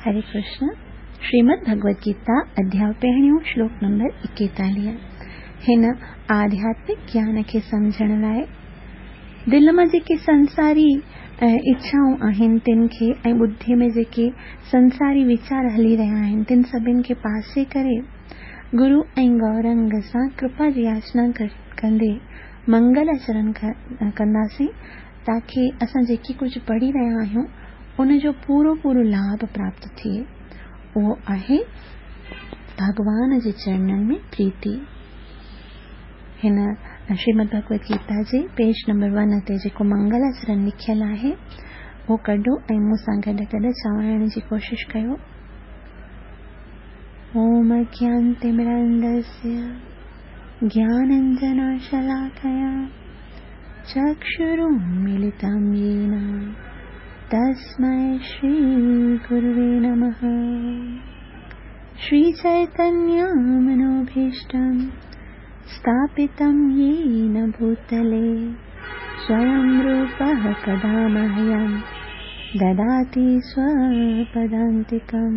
हरे कृष्ण। श्रीमद् भगवद गीता अध्याय पहिरियों श्लोक नंबर 41। हिन आध्यात्मिक ज्ञान खे सम्झण लाइ दिलि मां जेके संसारी इच्छाऊं आहिनि तिन खे ऐं बुद्धि में जेके संसारी वीचार हली रहिया आहिनि तिन सभिनि खे पासे करे गुरु ऐं गौरंग सां कृपा जी याचना कंदे मंगल आचरण कंदासीं ताकी असां जेकी कुझु पढ़ी रहिया आहियूं उनजो पूरो पूरो लाभ प्राप्त थिए। उहो आहे भॻवान जे चरणनि में प्रीति। हिन श्रीमद् भगवद गीता जे पेज नंबर 1 ते जेको मंगलाचरण लिखियलु आहे उहो कढो ऐं मूंसां गॾु गॾु चवाइण जी कोशिशि कयो। ओम अज्ञानतिमिरान्धस्य ज्ञानाञ्जनशलाकया चक्षुरुन्मीलितं येन तस्मै श्रीगुरुवे नमः। श्रीचैतन्यमनोभीष्टं स्थापितं येन भूतले स्वयं रूपः कदा मह्यं ददाति स्वपदान्तिकं।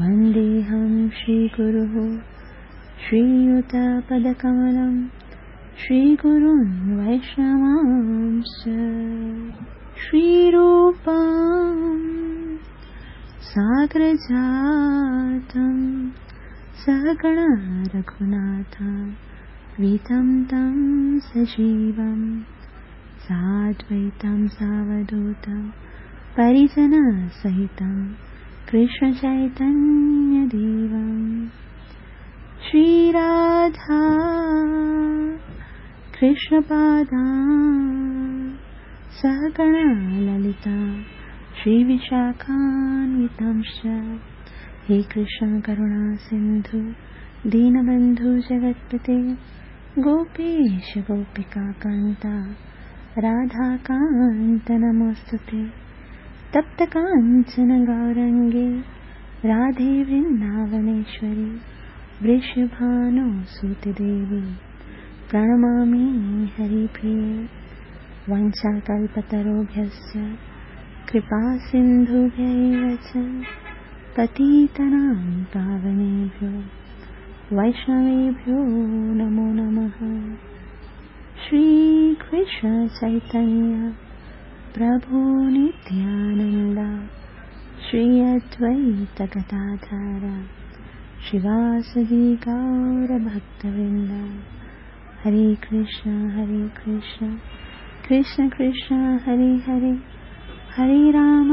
वन्देऽहं श्रीगुरुः श्रीयुतपदकमलं श्रीगुरुन् वैष्णवांश्च। श्रीरूपं सागरजातं सहगण रघुनाथं वीतं तं सजीवं साद्वैतं सावधूतं परिजनसहितं कृष्णचैतन्यदेवं। श्रीराधा कृष्णपादां सहगण ललिता श्रीविशाखान्वितांश्च। हे कृष्ण करुणा सिन्धु दीनबन्धु जगत्पते गोपेश गोपिकान्ता राधाकान्त नमोऽस्तुते। तप्त काञ्चन गौरङ्गे राधे वृन्दावनेश्वरि वृषभानुसुते देवी प्रणमामि हरिप्रिये। वंशाकल्पतरुभ्यश्च कृपा सिन्धुभ्य एव च पतितानां पावनेभ्यो वैष्णवेभ्यो नमो नमः। श्रीकृष्ण चैतन्य प्रभु नित्यानन्द श्री अद्वैत गदाधर श्रीवासदि गौरभक्तवृन्द। हरे कृष्ण कृष्ण कृष्ण हरे हरे, हरे राम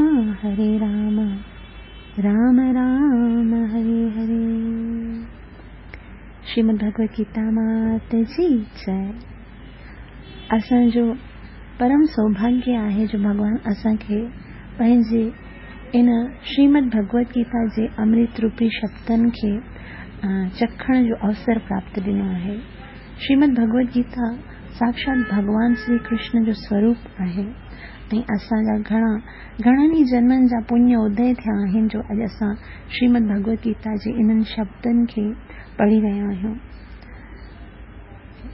राम राम हरे हरे। श्रीमद् भगवद गीता मात जी जय। असांजो परम सौभाग्य आहे जो भॻवान असांखे पंहिंजे इन श्रीमद् भगवद गीता जे अमृत रूपी शब्दनि खे चखण जो अवसर प्राप्त ॾिनो आहे। श्रीमद् भगवद गीता साक्षात भॻवान श्री कृष्ण जो स्वरूप आहे ऐं असांजा घणनि ई जन्मनि जा पुण्य उदय थिया आहिनि जो अॼु असां श्रीमद् भगवद गीता जे इन्हनि शब्दनि खे पढ़ी रहिया आहियूं।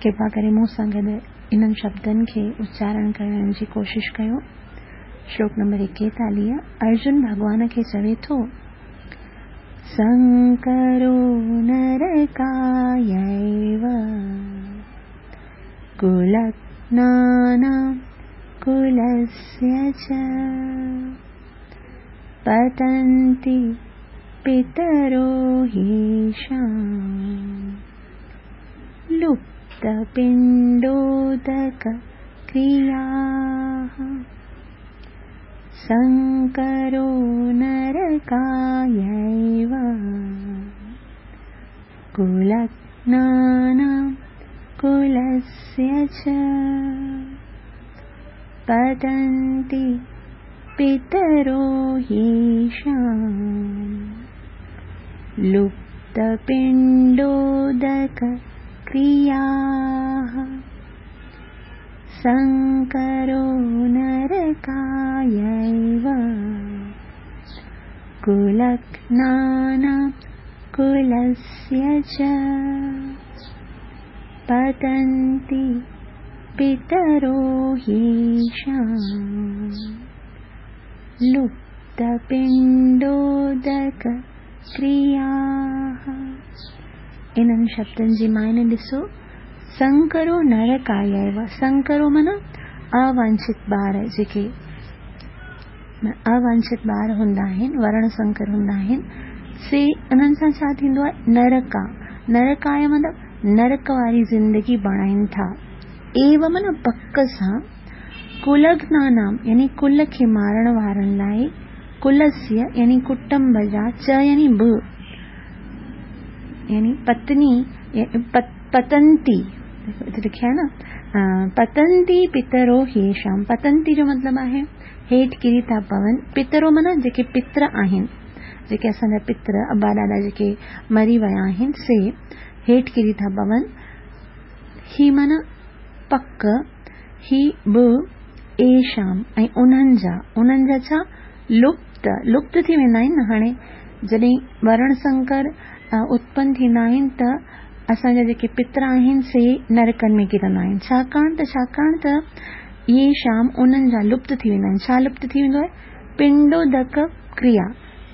कृपा करे मूंसां गॾु इन्हनि शब्दनि खे उच्चारण करण जी कोशिशि कयो। श्लोक नंबर 41। अर्जुन भॻवान खे चवे थो, संकरो नरकायैव कुलघ्नानां कुलस्य च पतन्ति पितरो ह्येषां लुप्तपिण्डोदकक्रियाः। संकरो नरकायैव कुलघ्नानां कुलस्य च पतन्ति पितरो ह्येषां लुप्तपिण्डोदकक्रियाः। संकरो नरकायैव कुलघ्नानां कुलस्य च पतन्ति पितरो ह्येषां लुप्त लुप्त पिंडोदक क्रियाः। इन्हनि शब्दनि जी मायने ॾिसो, संकरो नरकाय एव। संकरो माना अवांछित ॿार, जेके अवांछित ॿार हूंदा आहिनि, वर्ण संकर हूंदा आहिनि, से उन्हनि सां छा थींदो आहे? नरका। नरकाय मतिलबु नरक वारी ज़िंदगी बणाइनि था। एव माना पक सां, कुलघ्नानाम यानी कुल खे मारण वारनि लाइ, कुलस्य यानी कुटुंब जा, च यानी ब यानी पत्नी, पतंती लिखियो आहे न, पतंती पितरो ह्येषां। पतंती जो मतिलबु आहे हेठि किरी था पवनि। पितरो माना जेके पितर आहिनि, जेके असांजा पितर अबा ॾाॾा जेके मरी विया आहिनि, से हेठि किरी था पवनि। ही माना पक, ही ब एषाम ऐं उन्हनि जा, उन्हनि जा छा? लुप्त, लुप्त थी वेंदा आहिनि न। हाणे जॾहिं वर्ण संकर उत्पन्न थींदा आहिनि त असांजा जेके पितर आहिनि से नरकनि में किरंदा आहिनि। छाकाणि त येषाम उन्हनि जा लुप्त थी वेंदा आहिनि। छा लुप्त थी वेंदो आहे? पिंडोदक क्रिया।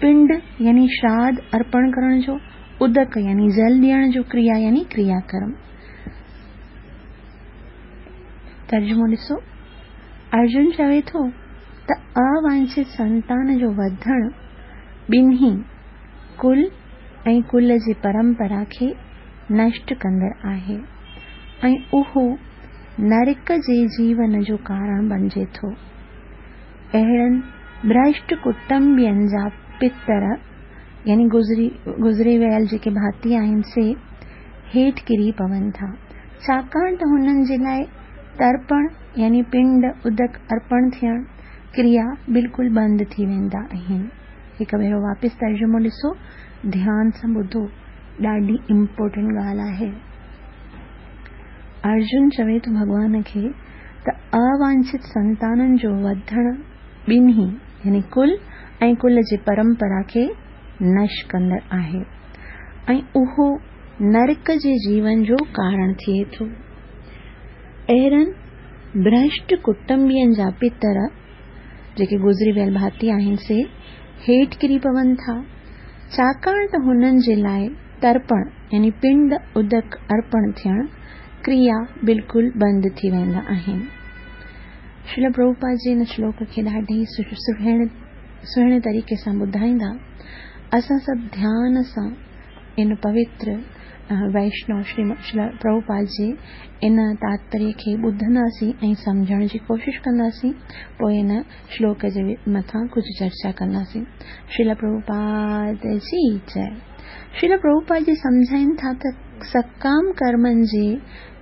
पिंड यानी श्राद्ध अर्पण करण जो, उदक यानी जल ॾियण जो, क्रिया यानी क्रियाकर्म। तर्जुमो ॾिसो, अर्जुन चवे थो त अवांछित संतान जो वधण ॿिन्ही कुल ऐं कुल जी परंपरा खे नष्ट कंदड़ आहे ऐं उहो नरक जे जीवन जो कारण बणिजे थो। अहिड़नि भ्रष्ट कुटुंबियनि जा पितर यानी गुज़रे वियल जेके भाती आहिनि से हेठि किरी पवनि था, छाकाणि त हुननि जे लाइ तर्पण यानी पिंड उदक अर्पण थियण क्रिया बिल्कुलु बंदि थी वेंदा आहिनि। हिकु भेरो वापसि तर्जुमो ॾिसो, ध्यान सां ॿुधो, ॾाढी इम्पोर्टेंट ॻाल्हि आहे। अर्जुन चवे थो भॻवान खे त अवांछित संताननि जो वधण ॿिन्ही यानी कुल ऐं कुल जी परंपरा खे नष्ट कंदड़ आहे ऐं उहो नरक जे जीवन जो कारण थिए थो। अहिड़नि भ्रष्ट कुटुंबियनि जा पितर जेके गुज़री वियल भाती आहिनि से हेठि किरी पवनि था, छाकाणि त हुननि जे लाइ तर्पण यानी पिंड उदक अर्पण थियण क्रिया बिल्कुलु बंदि थी वेंदा आहिनि। श्रील प्रभुपाद जी हिन श्लोक खे ॾाढे सुहिणे तरीक़े सां ॿुधाईंदा। असां सभु ध्यान सां इन पवित्र वैष्णव श्री प्रभुपाद जी इन तात्पर्य खे ॿुधंदासीं ऐं सम्झण जी कोशिशि कंदासीं, पोइ इन श्लोक जे मथां कुझु चर्चा कंदासीं। श्रील प्रभुपाद जी जय। श्रील प्रभुपाद जी सम्झाइनि था त सकाम कर्मनि जे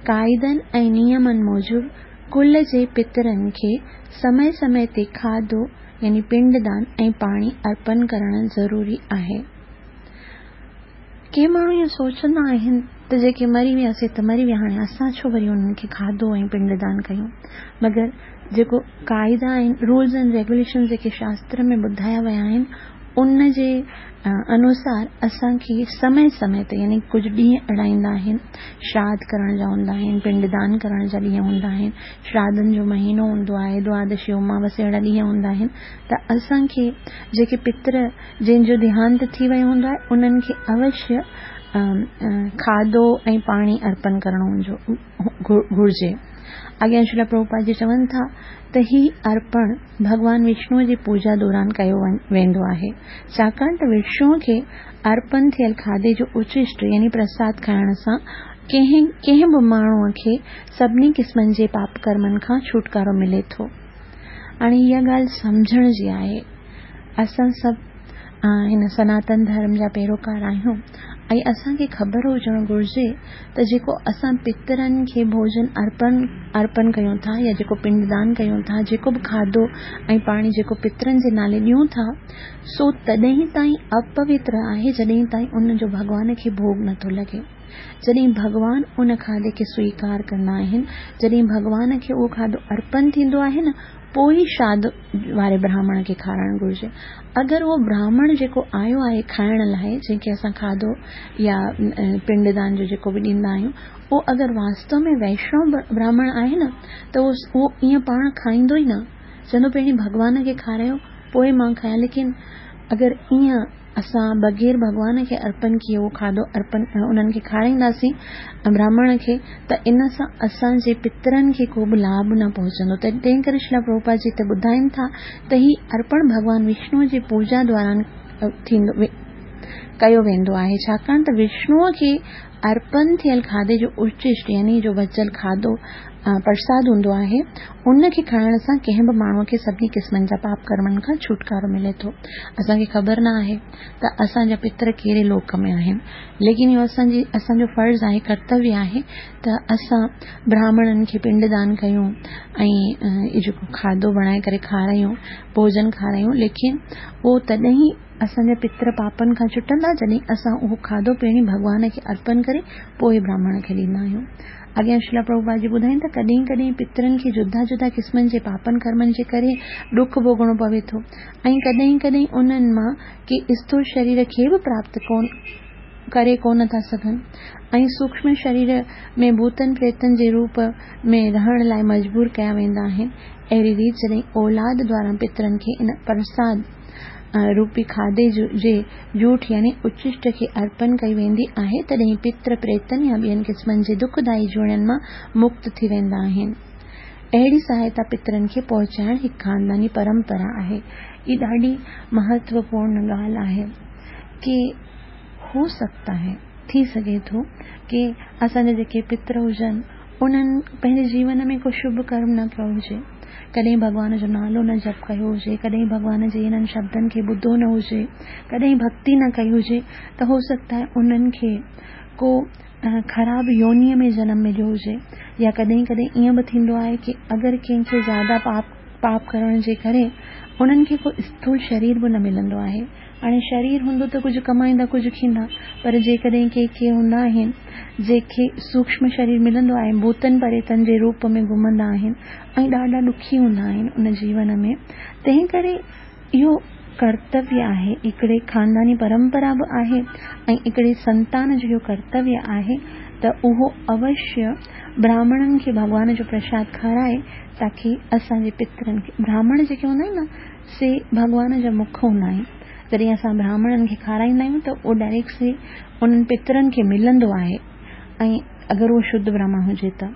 क़ाइदनि ऐं नियमनि मूजिबि कुल जे पितरनि खे समय समय ते खाधो यानी पिंडदान ऐं पाणी अर्पण करणु ज़रूरी आहे। के माण्हू इहो सोचंदा आहिनि त जेके मरी विया से त मरी विया, हाणे असां छो वरी उन्हनि खे खाधो ऐं पिंडदान कयूं? मगर जेको क़ाइदा आहिनि, रूल्स एंड रेगुलेशन जेके शास्त्र में ॿुधाया विया आहिनि, उन जे अनुसार असांखे समय समय ते यानी कुझु ॾींहं अड़ाईंदा आहिनि, श्राद्ध करण जा हूंदा आहिनि, पिंडदान करण जा ॾींहं हूंदा आहिनि, श्राद्धनि जो महीनो हूंदो आहे, द्वादशी अमावस अहिड़ा ॾींहं हूंदा आहिनि त असांखे जेके पितर जंहिंजो देहांत थी वियो हूंदो आहे उन्हनि खे अवश्य खाधो ऐं पाणी अर्पण करणो घुर्जे। अॻियां श्रील प्रभुपाद जी चवनि था त ही अर्पण भॻवान विष्णुअ जी पूजा दौरान कयो वेंदो आहे, छाकाणि त विष्णुअ खे अर्पण थियल खाधे जो उच्छिष्ट यानी प्रसाद खाइण सां कंहिं बि माण्हूअ खे सभिनी क़िस्मनि जे पाप कर्मनि खां छुटकारो मिले थो। हाणे इहा ॻाल्हि सम्झण जी आहे, असां सभु हिन सनातन धर्म जा पैरोकार आहियूं ऐं असांखे ख़बर हुजणु घुर्जे त जेको असां पितरनि खे भोजन अर्पण कयूं था या जेको पिंडदान कयूं था, जेको बि खाधो ऐं पाणी जेको पितरनि जे नाले ॾियूं था, सो तॾहिं ताईं अपवित्र आहे जॾहिं ताईं उन जो भॻवान खे भोग नथो लॻे। जॾहिं भॻवान उन खाधे खे स्वीकार कंदा आहिनि, जॾहिं भॻवान खे उहो खाधो अर्पण थींदो आहे न, पोइ ई श्राद्ध वारे ब्राह्मण खे खाराइणु घुर्जे। अगरि उहो ब्राह्मण जेको आयो आहे खाइण लाइ, जंहिंखे असां खाधो या पिंडदान जो जेको बि ॾींदा आहियूं, उहो अगरि वास्तव में वैष्णव ब्राह्मण आहे न, त उहो ईअं पाण खाईंदो ई न, चवंदो पहिरीं भॻवान खे खारायो, پوء مان کايان ليڪن اگر ائين اسان بغير ڀڳوان کي ارپن ڪيئي اهو کاڌو ارپن انهن کي کارائينداسين براهمڻ کي ته ان سان اسان جي پترن کي ڪو به لاڀ نه پهچندو ته تنهن ڪري شريلا پرڀوپاد جي هتي ٻڌائين ٿا ته هي ارپڻ ڀڳوان وشنو جي پوڄا دوران ٿيندو ڪيو ويندو آهي ڇاڪاڻ ته وشنوء کي ارپن ٿيل کاڌي جو اچشٽ يعني جو بچيل کاڌو پرساد هوندو آهي ان کي کائڻ سان ڪنهن به ماڻهوء کي سڀني قسمن جا پاپ ڪرمن کان ڇوٽڪارو ملي ٿو. اسان کي خبر نه آهي ته اسان جا پتر ڪهڙي لوڪ ۾ آهن ليڪن اهو اسان جي اسان جو فرض آهي ڪرتويه آهي ته اسان براهمڻن کي پنڊ دان ڪيون ۽ اهو جيڪو کاڌو بڻائي ڪري کارايون ڀوڄن کارايون ليڪن اهو تڏهن ئي اسان جا پتر پاپن کان ڇٽندا جڏهن اسان اهو کاڌو پهرين ڀڳوان کي ارپن ڪري پوء براهمڻ کي ڏيندا آهيون. اڳيان شريلا پرڀوپاد جي ٻڌائين ته ڪڏهن ڪڏهن پترن کي جدا جدا قسمن جي پاپن ڪرمن جي ڪري ڏک ڀوڳڻو پوي ٿو ۽ ڪڏهن ڪڏهن انهن مان ڪي اسٿول شرير کي به پراپت ڪري ڪونه ٿا سگهن ۽ سوڪشم شرير ۾ ڀوتن پريتن جي روپ ۾ رهڻ لاء مجبور ڪيا ويندا آهن. اهڙي ريت جڏهن اولاد دواران پترن کي ان پرساد روپي کاڌي جي جوٺ يعني اچشٽ کي ارپن ڪئي ويندي آهي، تڏهن پتر پريتن يا ٻين قسمن جي دکدائي جوڻين مان مڪت ٿي ويندا آهن. اهڙي سهائتا پترن کي پهچائڻ هڪ خانداني پرمپرا آهي. هي ڏاڍي مهتوپورن ڳالهه آهي ڪي هو سگهتا هي، ٿي سگهي ٿو، ڪي اسان جا جيڪي پتر هجن، انهن پنهنجي جيون ۾ ڪو شڀ ڪرم نه ڪيو هجي، ڪڏهن ڀڳوان جو نالو نه جپ ڪيو هجي، ڪڏهن ڀڳوان جي انهن شبدن کي ٻڌو نه هجي، ڪڏهن ڀڳتي نه ڪئي هجي ته هو سگهتا آهي انهن کي ڪو خراب يونيء ۾ جنم مليو هجي يا ڪڏهن ڪڏهن ائين به ٿيندو آهي ڪي اگر ڪنهن کي زياده پاپ پاپ ڪرڻ جي ڪري انهن کي ڪو اسٿول شرير به نه ملندو آهي. هاڻي شرير هوندو ته ڪجهه ڪمائيندا ڪجهه کيندا پر جيڪڏهن ڪي ڪي هوندا آهن جيڪي سوڪشم شرير ملندو آهي ڀوتن پريتن جي روپ ۾ گهمندا آهن ۽ ڏاڍا ڏکي هوندا آهن ان جيون ۾ تنهن ڪري اهو ڪرتويه آهي هڪڙي خانداني پرمپرا به آهي ۽ هڪڙي سنتان جو اهو ڪرتويه آهي ته اهو اوشيه براهمڻن کي ڀڳوان جو پرشاد کارائي تاڪي اسان جي پترن کي براهمڻ جيڪي هوندا آهن نه سي ڀڳوان جا مک هوندا آهن. جڏهن اسان براهمڻن کي کارائيندا آهيون ته اهو ڊائريڪٽ سي انهن پترن کي ملندو آهي ۽ اگر اهو شڌ براهمڻ هجي ته.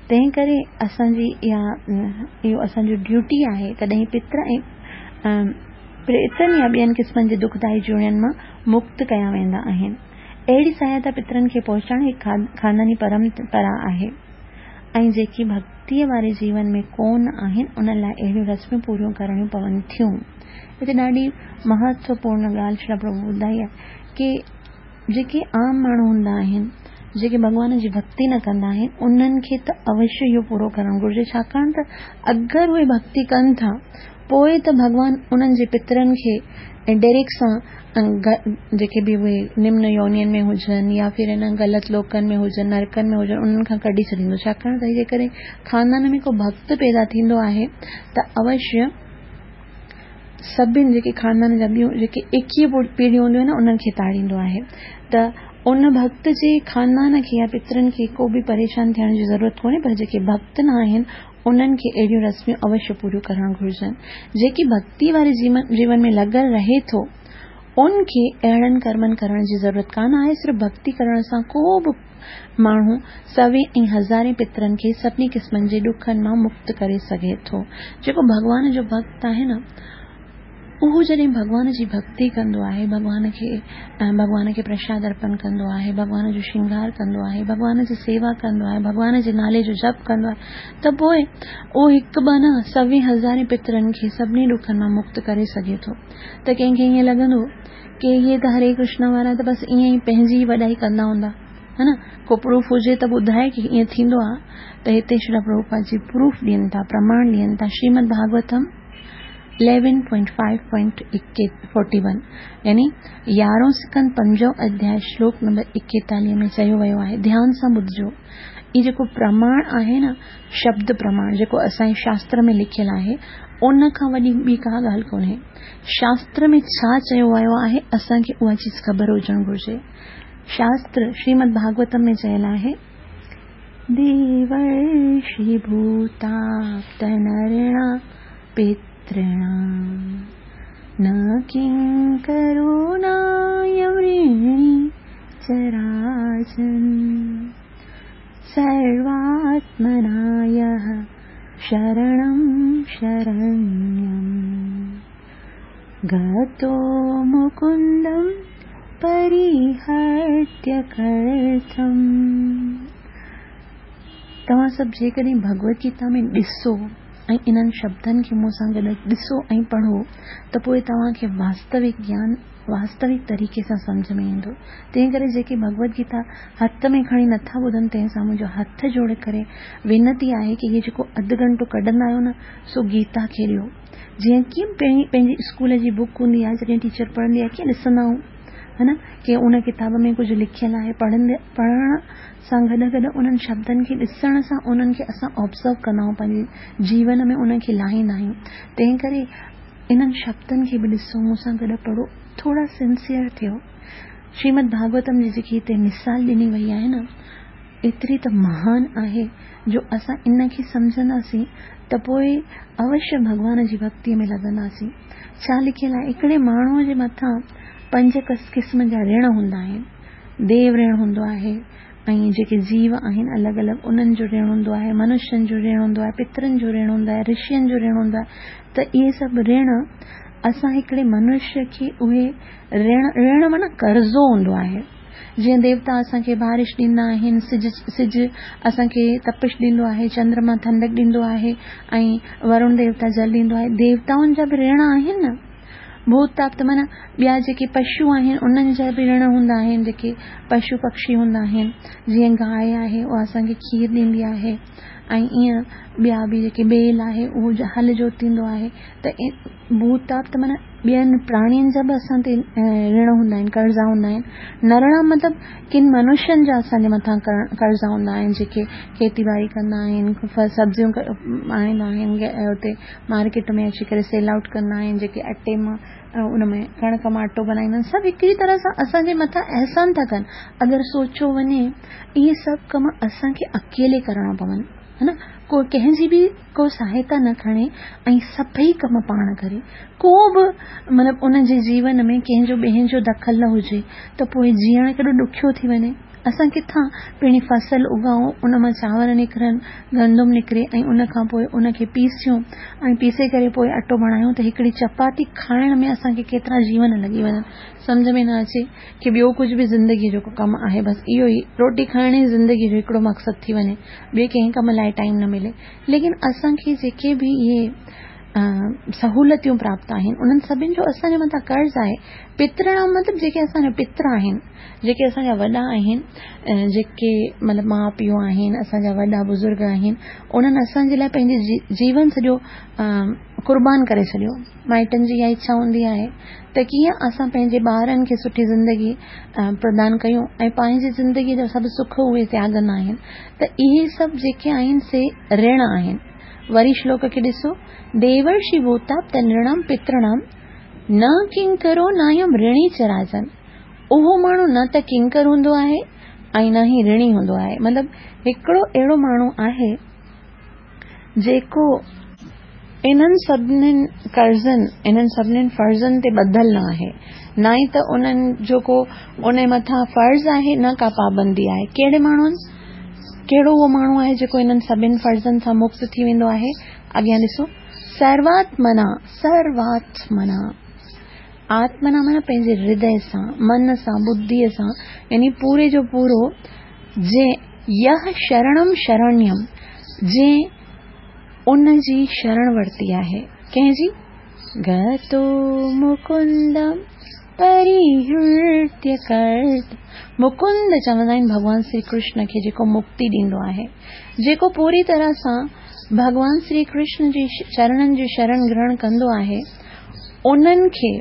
تنهن ڪري اسان جي اها اهو اسان جو ڊيوٽي آهي تڏهن پتر ۽ پريتن يا ٻين قسمن جي دکدائي جوڻين مان مڪت ڪيا ويندا آهن. اهڙي سهائتا پترن کي پهچائڻ هڪ خانداني پرمپرا آهي. ۽ جيڪي ڀڳتيء واري جيون ۾ ڪونه آهن، انهن لاء اهڙيون رسمون پوريون ڪرڻيون پون ٿيون. هتي ڏاڍي مهتوپورڻ ڳالهه شريلا پرڀو ٻڌائي آهي ڪي جيڪي عام ماڻهو هوندا آهن، جيڪي ڀڳوان جي ڀڳتي نه ڪندا آهن، انهن کي ته اوشيه اهو پورو ڪرڻ گهرجي، ڇاڪاڻ ته اگر اهي ڀڳتي ڪن ٿا، پوء ته ڀڳوان انهن جي پترن کي ڊيريڪ سان جيڪي به اهي نمن يونين ۾ هجن يا ڦر ان غلط لوڪن ۾ هجن نرڪن ۾ هجن انهن کان ڪڍي ڇڏيندو ڇاڪاڻ ته جيڪڏهن خاندان ۾ ڪو ڀڳت پيدا ٿيندو آهي ته اوشيه سڀن جيڪي خاندان جا ٻيون جيڪي ايڪيهه پيڙهيون هونديون آهن انهن کي تاڙيندو آهي ته ان ڀڳت جي خاندان کي يا پترن کي ڪو به پريشان ٿيڻ جي ضرورت ڪونهي پر جيڪي ڀڳت نه آهن انهن کي اهڙيون رسميون اوشيه پوريون ڪرڻ گهرجن. جيڪي ڀڳتي واري جيون ۾ لڳل رهي ٿو، ان کي اهڙن ڪرمن ڪرڻ جي ضرورت ڪانه آهي. صرف ڀڳتي ڪرڻ سان ڪو به ماڻهو سوين ۽ هزارين پترن کي سڀني قسمن جي ڏکن مان مڪت ڪري سگهي ٿو. جيڪو ڀڳوان جو ڀڳت آهي نه، اهو جڏهن ڀڳوان جي ڀڳتي ڪندو آهي، ڀڳوان کي ڀڳوان کي پرشاد ارپن ڪندو آهي، ڀڳوان جو شنگار ڪندو آهي، ڀڳوان جي سيوا ڪندو آهي، ڀڳوان جي نالي جو جپ ڪندو آهي ته پوء اهو هڪ ٻه نه سوين هزارين پترن کي سڀني ڏکن مان مڪت ڪري سگهي ٿو ته ڪنهن کي ائين لڳندو ڪي اهي ته هري ڪرشنا وارا ته بس ائين ئي پنهنجي ئي وڏائي ڪندا هوندا ها نه ڪو پروف هجي ته ٻڌائي ڪي ائين ٿيندو آهي ته هتي شريلا پرڀوپاد جي پروف ڏين ٿا پرماڻ ڏين ٿا شريمد ڀاڳوتم 11.5.41 يعني يارهون سڪند پنجون اڌياء شلوڪ نمبر ايڪيتاليهه ۾ چيو ويو آهي ڌيان سان ٻڌجو هي جيڪو پرماڻ آهي نه شبد پرماڻ جيڪو اسان جي شاستر ۾ لکيل آهي ان کان وڏي ٻي ڪا ڳالهه ڪونهي شاستر ۾ ڇا چيو ويو آهي اسان کي اها چيز خبر هجڻ گهرجي شاستر شريمد ڀاڳوتم ۾ چيل آهي न किङ्करो नायं ऋणी च राजन्। सर्वात्मना यः शरणं शरण्यम् गतो मुकुन्दं परिहर्त्य कर्थम्। तव्हां सभु जेकॾहिं भगवद गीता में ॾिसो ऐं इन्हनि शब्दनि खे मूं सां गॾु ॾिसो ऐं पढ़ो त पोइ तव्हांखे वास्तविक ज्ञान वास्तविक तरीक़े सां सम्झ में ईंदो। तंहिं करे जेके भगवद गीता हथ में खणी नथा ॿुधनि तंहिं सां मुंहिंजो हथ जोड़े करे विनती आहे की इहे जेको अधु घंटो कढंदा आहियो न सो गीता खे ॾियो। जीअं कीअं पंहिंजी स्कूल जी बुक हूंदी आहे, जॾहिं टीचर पढ़ंदी आहे कीअं ॾिसंदा आहियूं है न की उन किताब में कुझु लिखियलु आहे, पढ़ण सां गॾु गॾु उन्हनि शब्दनि खे ॾिसण सां उन्हनि खे असां ऑब्ज़र्व कंदा आहियूं, पंहिंजे जीवन में उनखे लाहींदा आहियूं। तंहिं करे इन्हनि शब्दनि खे बि ॾिसो, मूंसां गॾु पढ़ो, थोरा सिंसियर थियो। श्रीमद भागवतम जी जेकी हिते मिसाल ॾिनी वई आहे न, एतिरी त महान आहे जो असां इन खे सम्झंदासीं त पोइ अवश्य भॻवान जी भक्तीअ में लॻंदासीं। छा लिखियलु आहे, हिकिड़े माण्हूअ जे मथां पंज क़िस्म जा ऋण हूंदा आहिनि। देव ऋण हूंदो आहे ऐं जेके जीव आहिनि अलॻि अलॻि उन्हनि जो ऋण हूंदो आहे, मनुष्यनि जो ऋण हूंदो आहे, पितरनि जो ऋण हूंदो आहे, ऋषियुनि जो ऋण हूंदो आहे। त इहे सभु ऋण असां हिकिड़े मनुष्य खे उहे ऋण ऋण माना कर्ज़ो हूंदो आहे। जीअं देवता असांखे बारिश ॾींदा आहिनि, सिज असांखे तपिश ॾींदो आहे, चंद्रमा ठंडक ॾींदो आहे ऐं वरुण देवता जल ॾींदो आहे। देवताउनि जा बि ऋण आहिनि न। भूताप त माना ॿिया जेके पशु आहिनि उन्हनि जा बि ऋण हूंदा आहिनि, जेके पशु पक्षी हूंदा आहिनि, जीअं गाय आहे उहा असांखे खीर ॾींदी आहे ऐं ईअं ॿिया बि जेके बेल आहे उहो हल जोतींदो आहे। त भूताप त माना ॿियनि प्राणियुनि जा बि असां ते ऋण हूंदा आहिनि, कर्ज़ा हूंदा आहिनि। नरणा मतिलबु किन मनुष्यनि जा असांजे मथां कर्ज़ा हूंदा आहिनि, जेके खेती-ॿाड़ी कंदा आहिनि, सब्ज़ियूं आणींदा आहिनि, हुते मार्केट में अची करे सेल आउट कंदा आहिनि, जेके अटे मां उन में कणिक मां आटो बनाईंदा आहिनि, सभु हिकिड़ी तरह सां असांजे मथां अहसान था कनि। अगरि सोचो वञे इहे सभु कम असांखे अकेले करणा पवनि, है न, को कंहिंजी बि को सहायता न खणे ऐं सभई कम पाण करे, को बि मतिलबु उनजे जीवन में कंहिंजो ॿियनि जो दख़ल न हुजे त पोइ जीअणु केॾो ॾुखियो थी वञे। असां किथां पहिरीं फसल उगाऊं, उन मां चांवर निकिरनि, गंदुम निकिरे ऐं उन खां पोइ उनखे पीसियूं ऐं पीसे करे पोइ आटो बणायूं त हिकिड़ी चपाती खाइण में असांखे केतिरा जीवन लॻी वञनि। सम्झ में न अचे की ॿियो कुझु बि ज़िंदगीअ जो कमु आहे, बसि इहो ई रोटी खाइण ई ज़िंदगीअ जो हिकिड़ो मक़सदु थी वञे, ॿिए कंहिं कम लाइ टाइम न मिले। लेकिन असांखे जेके बि इहे सहूलियतूं प्राप्त आहिनि उन्हनि सभिनी जो असांजे मथां कर्ज़ आहे। पितृणाम मतिलबु जेके असांजा पितर आहिनि, जेके असांजा वॾा आहिनि, जेके मतिलबु माउ पीउ आहिनि, असांजा वॾा बुज़ुर्ग आहिनि, उन्हनि असांजे लाइ पंहिंजो जीवन सॼो क़ुर्बान करे छॾियो। माइटनि जी इहा इच्छा हूंदी आहे त कीअं असां पंहिंजे ॿारनि खे सुठी ज़िंदगी प्रदान कयूं ऐं पंहिंजी ज़िंदगीअ जा सभु सुख उहे त्यागंदा आहिनि। त इहे सभु जेके आहिनि से ऋण आहिनि। वरी श्लोक खे ॾिसो, देवर्षि भूताप नृणाम पितृणाम न किंकरो नायम ऋणी च राजन। उहो माण्हू न त किंकर हूंदो आहे ऐं न ई ऋणी हूंदो आहे। मतिलबु हिकिड़ो अहिड़ो माण्हू आहे जेको इन्हनि सभिनीनि कर्ज़नि, इन्हनि सभिनीनि फ़र्ज़नि ते ॿधल न आहे, न ई त उन्हनि जो को उन मथां फ़र्ज़ आहे, न का पाबंदी आहे। कहिड़े माण्हुनि, कहिड़ो उहो माण्हू आहे जेको इन्हनि सभिनी फ़र्ज़नि सां मुक्त थी वेंदो आहे? अॻियां ॾिसो, सर्वात्मना, सर्वात्मना, आत्मना माना पंहिंजे हृदय सां, मन सां, बुद्धीअ सां, यानी पूरे जो पूरो, जे यह शरणम शरण्यम, जे उन जी शरण वरिती आहे। कंहिंजी? गतो मुकुंदम परिहृत्य कर्त। मुकुंद चवंदा आहिनि भॻवान श्री कृष्ण खे, जेको मुक्ति ॾींदो आहे, जेको पूरी तरह सां भॻवान श्री कृष्ण जी चरणनि जी शरण ग्रहण कंदो आहे, उन्हनि खे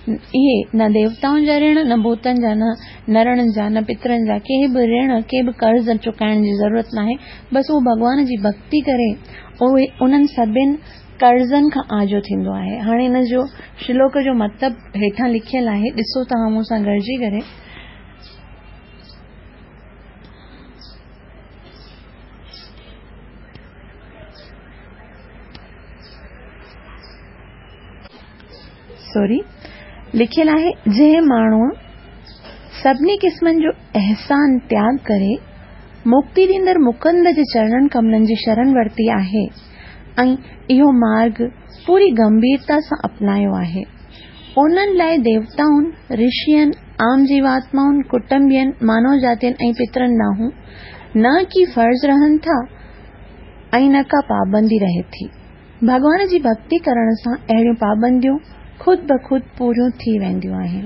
इहे न देवताउनि जा ऋण, न भूतनि जा, न नरणनि जा, न पितरनि जा, कंहिं बि ऋण, कंहिं बि कर्ज़ चुकाइण जी ज़रूरत न आहे। बसि उहो भॻवान जी भक्ति करे उहे उन्हनि सभिनी कर्ज़नि खां आजो थींदो आहे। हाणे इन जो श्लोक जो मतिलबु हेठां लिखियलु आहे, ॾिसो तव्हां मूंसां गॾिजी करे। سوري لکيل آهي جنهن ماڻهوء سڀني قسمن جو احسان تياڳ ڪري مڪتي ڏيندڙ مڪند جي چرڻن ڪملن جي شرڻ ورتي آهي ۽ اهو مارڳ پوري گنڀيرتا سان اپنايو آهي. انهن لاء ديوتائن، رشين، عام جيواتمائن، ڪٽنبين، مانو جاتين ۽ پترن ڏانهن نه ڪي فرض رهن ٿا ۽ نه ڪا پابندي رهي ٿي. ڀڳوان جي ڀڳتي ڪرڻ سان اهڙيون پابنديون خود بخود پوريون ٿي وينديون آهن.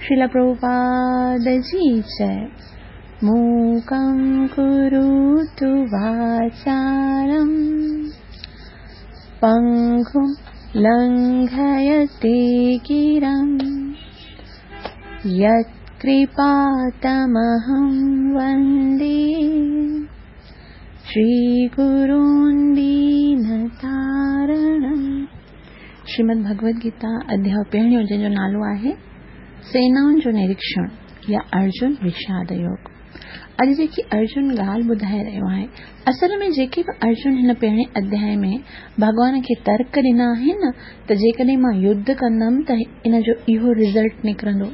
شريلا پرڀوپاد جي جئه. موڪم ڪروتو واچالم پنگم لنگهيتي گرم يت ڪرپا تمهم وندي شري گرون دينتارڻم. شريمد ڀڳوت گيتا اڌياء پهريون جنهن جو نالو آهي سينائن جو نريڪشڻ يا ارجن وشاد يوگ. اڄ جيڪي ارجن ڳالهه ٻڌائي رهيو آهي اصل ۾ جيڪي به ارجن هن پهرين اڌياء ۾ ڀڳوان کي ترڪ ڏنا آهن نه ته جيڪڏهن مان يڌ ڪندم ته ان جو اهو رزلٽ نڪرندو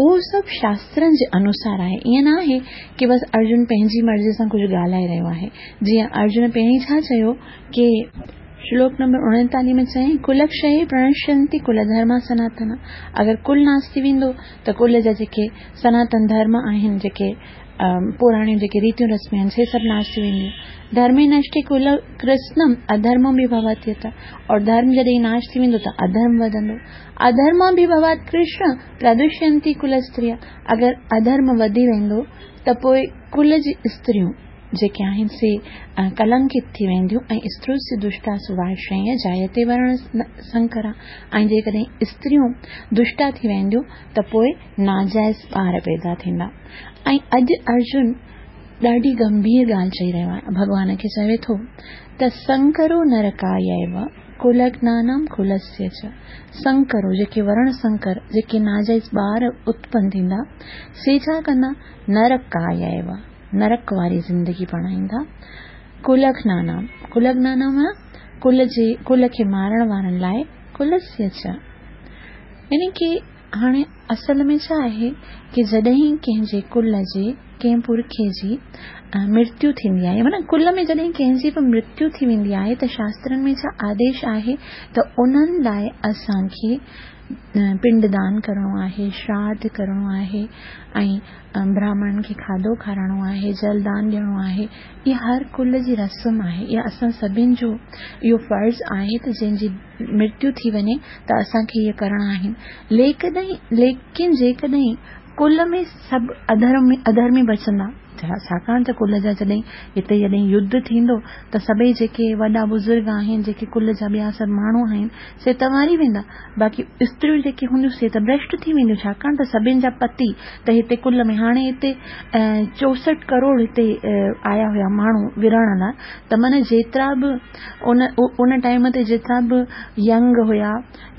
اهو سڀ شاسترن جي انوسار آهي. ائين نه آهي ڪي بس ارجن پنهنجي مرضي سان ڪجهه ڳالهائي رهيو آهي. جيئن ارجن پهرين ڇا چيو ڪي. شلوڪ نمبر 39 ۾ چيائين ڪلڪشيه پرڻشينتي ڪل ڌرما سناتنا اگر ڪل ناس ٿي ويندو ته ڪل جا جيڪي سناتن ڌرم آهن جيڪي پراڻيون جيڪي ريتيون رسمون آهن سي سڀ ناس ٿي وينديون. ڌرمي نشٽي ڪل ڪرسنم اڌرمم به ڀوت يٿا اور ڌرم جڏهن ناش ٿي ويندو ته اڌرم وڌندو. اڌرمم به ڀوت ڪرشن پردوشينتي ڪل استريا، اگر اڌرم وڌي ويندو ته پوء ڪل جي استريون جيڪي آهن سي ڪلنڪت ٿي وينديون ۽ استريوسي دشٽاسو وارشڻيه جايتي ورڻ سنڪرا ۽ جيڪڏهن استريون دشٽا ٿي وينديون ته پوء ناجائز ٻار پيدا ٿيندا ۽ اڄ ارجن ڏاڍي گنڀير ڳالهه چئي رهيو آهي ڀڳوان کي چوي ٿو ته سنڪرو نرڪايئيو ڪلگنانام ڪلسيه چ سنڪرو، جيڪي ورڻ سنڪر، جيڪي ناجائز ٻار اتپن ٿيندا، سي ڇا ڪندا؟ نرڪايئيو، نرڪ واري زندگي بڻائيندا. ڪلگنانام، ڪلگنانام معنيٰ ڪل جي، ڪل کي مارڻ وارن لاء، ڪلسيه چ. يعني ڪي هاڻي اصل ۾ ڇا آهي ڪي جڏهن ڪنهن جي ڪل جي ڪنهن پرکي جي مرتيو ٿيندي آهي معنيٰ ڪل ۾ جڏهن ڪنهن جي به مرتيو ٿي ويندي آهي ته شاسترن ۾ ڇا آديش آهي ته انهن لاء اسان کي پنڊ دان ڪرڻو آهي شراڌ ڪرڻو آهي ۽ براهمڻن کي کاڌو کارائڻو آهي جل دان ڏيڻو آهي اها هر ڪل جي رسم آهي اها اسان سڀن جو اهو فرض آهي ته جنهن جي مرتيو ٿي وڃي ته اسان کي اهي ڪرڻا آهن. ليڪن جيڪڏهن ڪل ۾ سڀ اڌرمي بچندا، ڇاڪاڻ ته ڪل جا جڏهن هتي جڏهن يڌ ٿيندو ته سڀئي جيڪي وڏا بزرگ آهن، جيڪي ڪل جا ٻيا سڀ ماڻهو آهن، سي ته مري ويندا، باقي استريون جيڪي هونديون سي ته ڀرشٽ ٿي وينديون، ڇاڪاڻ ته سڀن جا پتي ته هتي ڪل ۾ هاڻي هتي 64 ڪروڙ هتي آيا هيا ماڻهو ورهڻ لاء ته معنيٰ جيترا به ان ان ٽائيم تي جيترا به ينگ هيا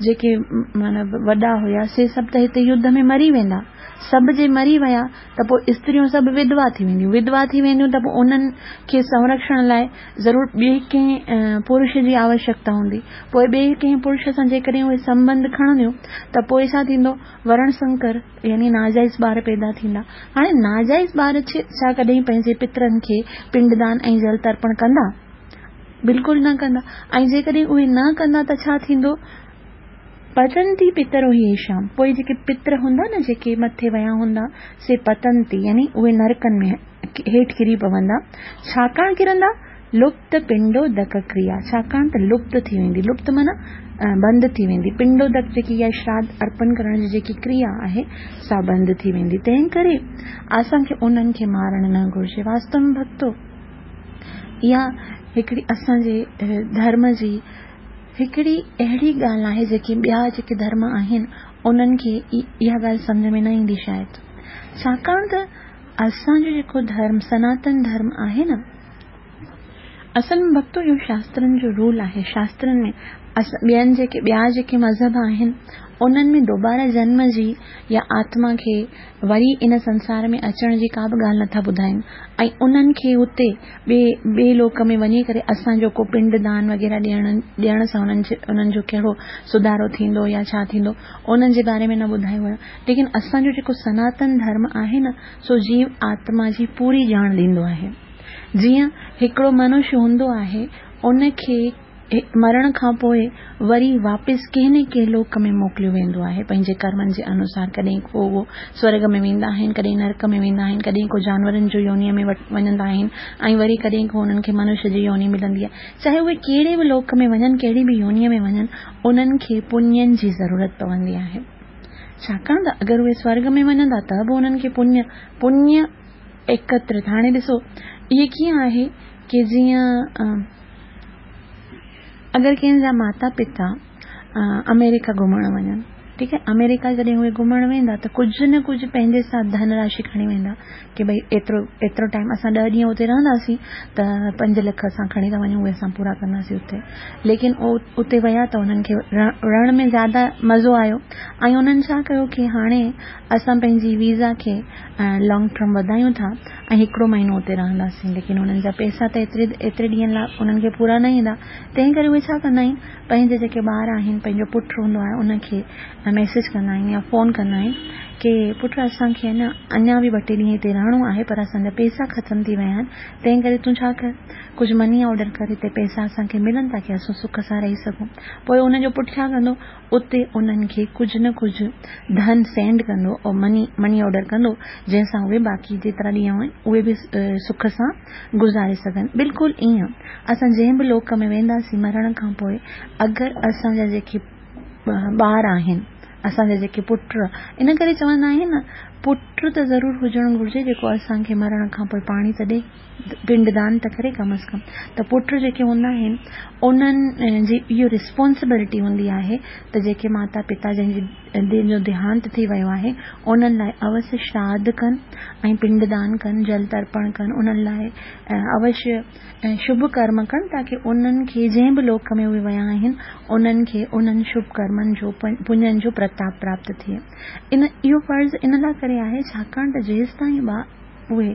جيڪي معنيٰ وڏا هيا سي سڀ ته هتي يڌ ۾ مري ويندا سڀ جي مري ويا ته پوء استريون سڀ وڌوا ٿي وينديون وڌوا ٿي وينديون ته پوء انهن کي سنرڪشڻ لاء ضرور ٻئي ڪنهن پرش جي آوشيڪتا هوندي پوء ٻئي ڪنهن پرش سان جيڪڏهن اهي سنٻنڌ کڻنديون ته پوء ڇا ٿيندو ورڻ سنڪر يعني ناجائز ٻار پيدا ٿيندا. هاڻي ناجائز ٻار ڇا ڪڏهن پنهنجي پترن کي پنڊدان ۽ جل ترپڻ ڪندا؟ بلڪل نه ڪندا ۽ جيڪڏهن اهي نه ڪندا ته ڇا ٿيندو؟ پتنتي پترو هي ايشام پوء جيڪي پتر هوندا نه جيڪي مٿي ويا هوندا سي پتنتي يعني اهي نرڪن ۾ هيٺ ڪري پوندا. ڇاڪاڻ ڪرندا؟ لپت پنڊودڪ ڪريا، ڇاڪاڻ ته لپت ٿي ويندي، لپت معنيٰ بند ٿي ويندي، پنڊودڪ جيڪي اها شراڌ ارپڻ ڪرڻ جي جيڪي ڪريا آهي سا بند ٿي ويندي، تنهن ڪري اسان کي انهن کي مارڻ نه گهرجي. واستو ۾ ڀڳتو اها هڪڙي اسان جي ڌرم جي هڪڙي اهڙي ڳالهه آهي جيڪي ٻيا جيڪي ڌرم آهن انهن کي اها ڳالهه سمجهه ۾ نه ايندي شايد ڇاڪاڻ ته اسان جو جيڪو ڌرم سناتن ڌرم آهي نه اصل ۾ ڀڳتو اهو شاسترن جو رول آهي شاسترن ۾ ٻين جيڪي ٻيا جيڪي مذهب آهن انهن ۾ دوباره جنم جي يا آتما کي وري ان سنسار ۾ اچڻ جي ڪا به ڳالهه نٿا ٻڌائين ۽ انهن کي اتي ٻئي ٻئي لوڪ ۾ وڃي ڪري اسان جو ڪو پنڊ دان وغيره ڏيڻ ڏيڻ سان انهن جي انهن جو ڪهڙو سڌارو ٿيندو يا ڇا ٿيندو انهن جي باري ۾ نه ٻڌايو ويو ليڪن اسان جو جيڪو سناتن ڌرم آهي نه سو جيو آتما جي پوري ڄاڻ ڏيندو آهي جيئن هڪڙو منش هوندو آهي ان کي مرڻ کان پوء وري واپس ڪنهن نه ڪنهن لوڪ ۾ موڪليو ويندو آهي پنهنجي ڪرمن جي انوسار ڪڏهن ڪو اهو سورڳ ۾ ويندا آهن ڪڏهن نرڪ ۾ ويندا آهن ڪڏهن ڪو جانورن جو يونيء ۾ وڃندا آهن ۽ وري ڪڏهن ڪو انهن کي منش جي يوني ملندي آهي چاهي اهي ڪهڙي به لوڪ ۾ وڃن ڪهڙي به يونيء ۾ وڃن انهن کي پڃين جي ضرورت پوندي آهي ڇاڪاڻ ته اگر اهي سورڳ ۾ وڃندا ته به انهن کي پڃ پڃ ايڪترت هاڻي ڏسو اهي ڪيئن آهي ڪي جيئن اگر ڪنهن جا ماتا پتا آمريڪا گهمڻ وڃن ٺيڪ آهي آمريڪا جڏهن اهي گهمڻ ويندا ته ڪجهه نه ڪجهه پنهنجي ساٿ ڌن راشي کڻي ويندا ڪي ڀئي ايترو ايترو ٽائيم اسان ڏهه ڏينهن اتي رهنداسين ته پنج لک اسان کڻي ٿا وڃون اهي اسان پورا ڪنداسين اتي ليڪن اتي ويا ته انهن کي رهڻ ۾ زياده مزو آيو ۽ انهن ڇا ڪيو ڪي هاڻي اسان پنهنجي ويزا کي لانگ ٽرم وڌايون ٿا ۽ هڪڙو مهينو اتي رهنداسين ليڪن انهن جا پئسا ته ايتري ايتري ڏينهن لاء انهن کي پورا نه ايندا تنهن ڪري اهي ڇا ڪندا آهن پنهنجي جيڪي ٻار آهن پنهنجو پٽ هوندو آهي ان کي ميسيج ڪندا آهن يا فون ڪندا آهن ڪي پٽ اسان کي نه اڃا به ٻه ٽي ڏينهن هتي رهڻو آهي پر اسان جا پئسا ختم ٿي ويا آهن تنهن ڪري تون ڇا ڪر ڪجهه مني آرڊر ڪر هتي پئسا اسان کي ملن تاڪي اسان سک سان رهي سگهون پوء ان جو پٽ ڇا ڪندو اتي انهن کي ڪجهه نه ڪجهه ڌن سينڊ ڪندو ۽ مني مني آرڊر ڪندو جنهن سان اهي باقي جيترا ڏينهن آهن اهي به سک سان گذاري سگهن بلڪل ائين اسان جنهن به لوڪ ۾ وينداسين مرڻ کان پوء اگر اسان جا جيڪي ٻار آهن اسان جا جيڪي پٽ ان ڪري چوندا آهن نه پٽ ته ضرور هجڻ گهرجي جيڪو اسان کي مرڻ کان پوء پاڻي ته ڏي پنڊ دان ته ڪري ڪم از ڪم ته پٽ جيڪي هوندا آهن انهن جي اهو رسپانسبلٽي هوندي آهي ته جيڪي ماتا پتا جن جي جن جو ديهانت ٿي ويو آهي انهن لاء اوشيه شراڌ ڪن ۽ پنڊ دان ڪن جل ترپڻ ڪن انهن لاء اوشيه شڀ ڪرم ڪن تاڪي انهن کي جنهن به لوڪ ۾ اهي ويا آهن انهن کي انهن شڀ ڪرمن جو پڃن جو پرتاپ پراپت ٿئي ان اهو فرض ان لاء ڪري آهي ڇاڪاڻ ته جيستائين اهي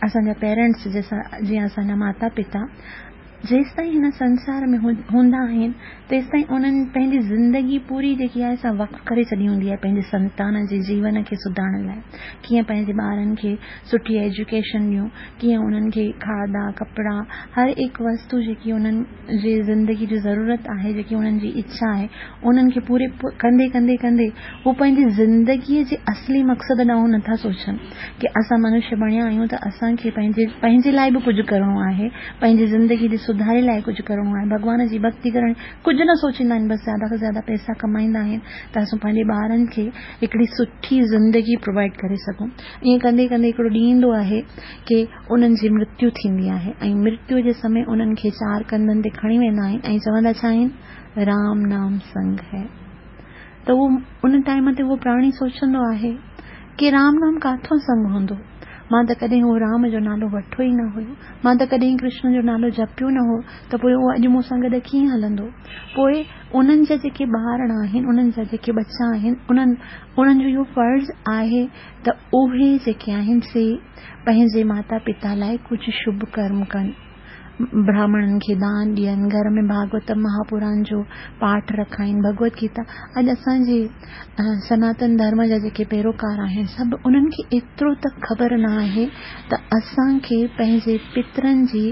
اسان جا پيرنٽس جيئن اسان جا ماتا پتا جيستائين هن سنسار ۾ هوندا آهن تيستائين انهن پنهنجي زندگي پوري جيڪي آهي سا وقف ڪري ڇڏي هوندي آهي پنهنجي سنتان جي جيون کي سڌارڻ لاء ڪيئن پنهنجي ٻارن کي سٺي ايجوڪيشن ڏيون ڪيئن انهن کي کاڌا ڪپڙا هر هڪ وستو جيڪي انهن جي زندگي جي ضرورت آهي جيڪي انهن جي اڇا آهي انهن کي پوري ڪندي ڪندي ڪندي هو پنهنجي زندگي جي اصلي مقصد ڏانهن نٿا سوچن ڪي اسان منشيه بڻيا آهيون ته اسان کي پنهنجي پنهنجي لاء به ڪجهه ڪرڻو آهي پنهنجي زندگي جي سڌاري لاء ڪجهه ڪرڻو آهي ڀڳوان جي ڀڳتي ڪرڻي ڪجهه نه سوچيندا آهن بس زياده کان زياده پئسا ڪمائيندا آهن ته اسان پنهنجي ٻارن کي هڪڙي سٺي زندگي پرووائيڊ ڪري سگهون ائين ڪندي ڪندي هڪڙو ڏينهن ايندو آهي ڪي انهن جي مرتيو ٿيندي آهي ۽ مرتيو جي سمي انهن کي چار ڪنڌن تي کڻي ويندا آهن ۽ چوندا ڇا آهن رام نام سنگ هي ته اهو ان ٽائيم تي اهو پراڻي سوچندو آهي ڪي رام نام ڪاٿو سنگ هوندو مان ته ڪڏهن اهو رام جو نالو وٺو ئي نه هيو مان ته ڪڏهن ڪرشن جو نالو جپيو نه هو ته پوء اهو اڄ مون سان گڏ ڪيئن هلندو پوء انهن جا جيڪي ٻارڙا آهن انهن جا جيڪي ٻچا آهن انهن انهن جو اهو فرض آهي ته اهي جيڪي آهن سي پنهنجي ماتا پتا لاء ڪجهه شڀ ڪرم ڪن، براهمڻن کي دان ڏين، گهر ۾ ڀاڳوتم مهاپراڻ جو پاٺ رکائين، ڀڳوت گيتا. اڄ اسان جي سناتن ڌرم جا جيڪي پيروڪار آهن سڀ انهن کي ايترو ته خبر نه آهي ته اسان کي پنهنجي پترن جي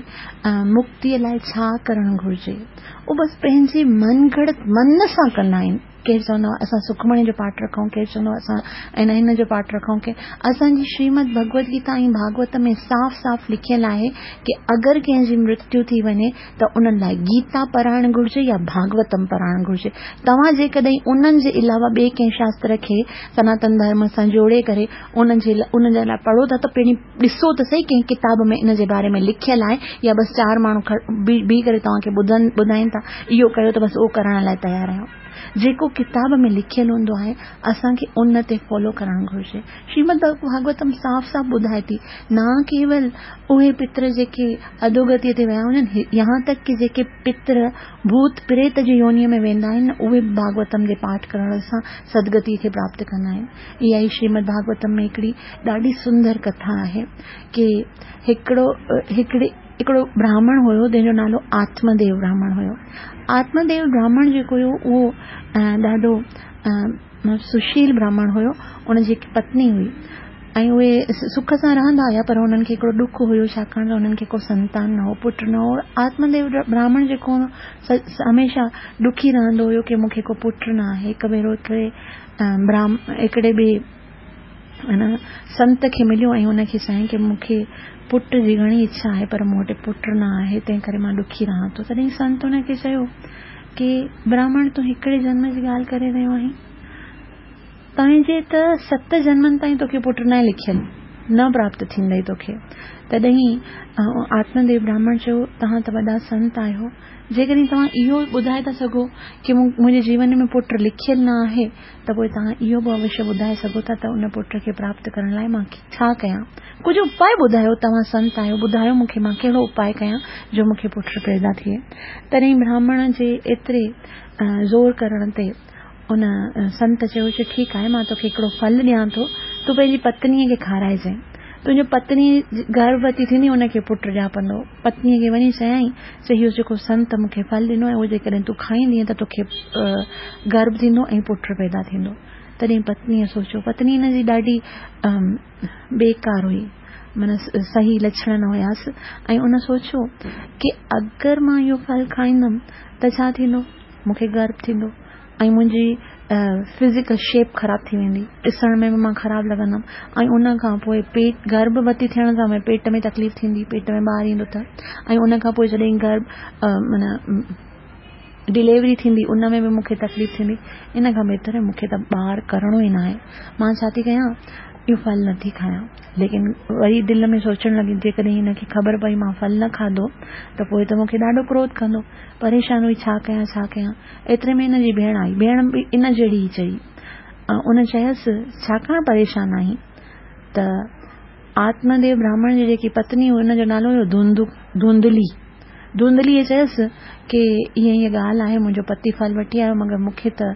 مڪتيء لاء ڇا ڪرڻ گهرجي. اهو بس پنهنجي من گهڙت من سان ڪندا آهن. ڪير چوندو آهي اسان سکمڻي جو پاٺ رکون، ڪير چوندو آهي اسان ان هن جو پاٺ رکون ڪي اسان جي شريمد ڀڳوت گيتا ۽ ڀاڳوت ۾ صاف صاف لکيل آهي ڪي اگر ڪنهن جي مرتيو ٿي وڃي ته انهن لاء گيتا پڙهائڻ گهرجي يا ڀاڳوتم پڙهائڻ گهرجي توهان جيڪڏهن انهن جي علاوه ٻئي ڪنهن شاستر کي سناتن ڌرم سان جوڙي ڪري انهن جي انهن جي لاء پڙهو ٿا ته پهرين ڏسو ته سهي ڪنهن ڪتاب ۾ ان جي باري ۾ لکيل آهي يا بس چار ماڻهو بيهي ڪري توهان کي ٻڌن ٻڌائين ٿا. اهو ڪيو ته بس اهو ڪرڻ لاء تيار آهيون. جيڪو ڪتاب ۾ لکيل هوندو آهي، اسان کي ان تي فالو ڪرڻ گهرجي. شريمد ڀاڳوتم صاف صاف ٻڌائي ٿي، نه ڪيول اهي پتر جيڪي اڌوگتيء تي ويا هجن، يهان تڪ ڪي جيڪي پتر ڀوت پريت جي يونيء ۾ ويندا آهن، اهي به ڀاڳوتم جي پاٺ ڪرڻ سان سدگتيء کي پراپت ڪندا آهن. اها ئي شريمد ڀاڳوتم ۾ هڪڙي ڏاڍي سندر ڪٿا آهي ڪي هڪڙو هڪڙي هڪڙو براهمڻ هيو جنهن جو نالو آتم ديو براهمڻ هيو. آتم ديو براهمڻ جيڪو هيو اهو ڏاڍو سشيل براهمڻ هيو. ان جي هڪ پتني هئي ۽ اهي سک سان رهندا هيا پر انهن کي هڪڙو ڏک هيو ڇاڪاڻ ته انهن کي ڪو سنتان نه هو پٽ نه هو. آتم ديو براهمڻ جيڪو هو هميشه ڏکي رهندو هيو ڪي مون کي ڪو پٽ نه آهي. هڪ ڀيرو هڪڙي براهمڻ هڪڙي ٻئي ان سنت کي مليو ۽ ان کي چيائين ڪي مون کي پٽ جي گهڻي اڇا آهي پر مون وٽ پٽ نه آهي تنهن ڪري مان ڏکي رهان ٿو. تڏهن سنت ان کي چيو ڪي براهمڻ تون هڪڙي جنم جي ڳالهه ڪري رهيو آهين، تنهنجي ته ست جنمن تائين توکي پٽ ناهي لکيل، نه پراپت ٿيندئي توکي. تڏهن آتم ديو براهمڻ چيو توهان ته وڏا سنت آهيو، جيڪڏهن توهان اهو ٻڌائي ٿا سگهو ڪي منهنجي جيون ۾ پٽ لکيل نه آهي ته پوء توهان اهو به اوشيه ٻڌائي سگهو ٿا ته ان پٽ کي پراپت ڪرڻ لاء مان ڇا ڪيان؟ ڪجهه اپاء ٻڌايو، توهان سنت آهيو، ٻڌايو مون کي مان ڪهڙو اپاء ڪيان جو مون کي پٽ پيدا ٿئي؟ تڏهن براهمڻ جي ايتري زور ڪرڻ تي ان سنت چيو چې ٺيڪ آهي مان توکي هڪڙو ڦل ڏيان ٿو، تون پنهنجي پتنيء کي کارائجانء، تنهنجو پتني گرڀوتي ٿيندي ان کي پٽ ڄاپندو. پتنيء کي وڃي چيائين ته اهو جيڪو سنت مون کي ڦل ڏنو آهي اهو جيڪڏهن تون کائيندينء ته توکي گرڀ ٿيندو ۽ پٽ پيدا ٿيندو. تڏهن پتنيء سوچيو. پتني هن جي ڏاڍي بيڪار هئي، معنيٰ صحيح لڇڻ نه هيس ۽ ان سوچيو ڪي اگر مان اهو ڦل کائيندم ته ڇا ٿيندو؟ مون کي گرڀ ٿيندو ۽ منهنجي فزيڪل شيپ خراب ٿي ويندي، ڏسڻ ۾ به مان خراب لڳندم ۽ ان کان پوء پيٽ گرڀوتي ٿيڻ سان پيٽ ۾ تڪليف ٿيندي، پيٽ ۾ ٻار ايندو ته ۽ ان کان پوء جڏهن گرڀ معنيٰ ڊليوري ٿيندي ان ۾ به مون کي تڪليف ٿيندي، ان کان بهتر مون کي ته ٻار ڪرڻو ئي ناهي، مان ڇا ٿي ڪيان اهو ڦل نٿي کايان. ليڪن وري دل ۾ سوچڻ لڳي جيڪڏهن هن کي خبر پئي مان ڦل نه کاڌو ته پوء ته مون کي ڏاڍو ڪروڌ ڪندو. پريشان هئي ڇا ڪيان ڇا ڪيان. ايتري ۾ هن جي ڀيڻ آئي. ڀيڻ به ان جهڙي ئي چئي. ان چيس ڇاڪاڻ پريشان آهين؟ ته آتم ديو براهمڻ جي جيڪي پتني هئي ان جو نالو هيو ڌونڌلي. ڌونڌليء چيس ڪي ائين ائين ڳالهه آهي منهنجو پتي ڦل وٺي آيو مگر مون کي ته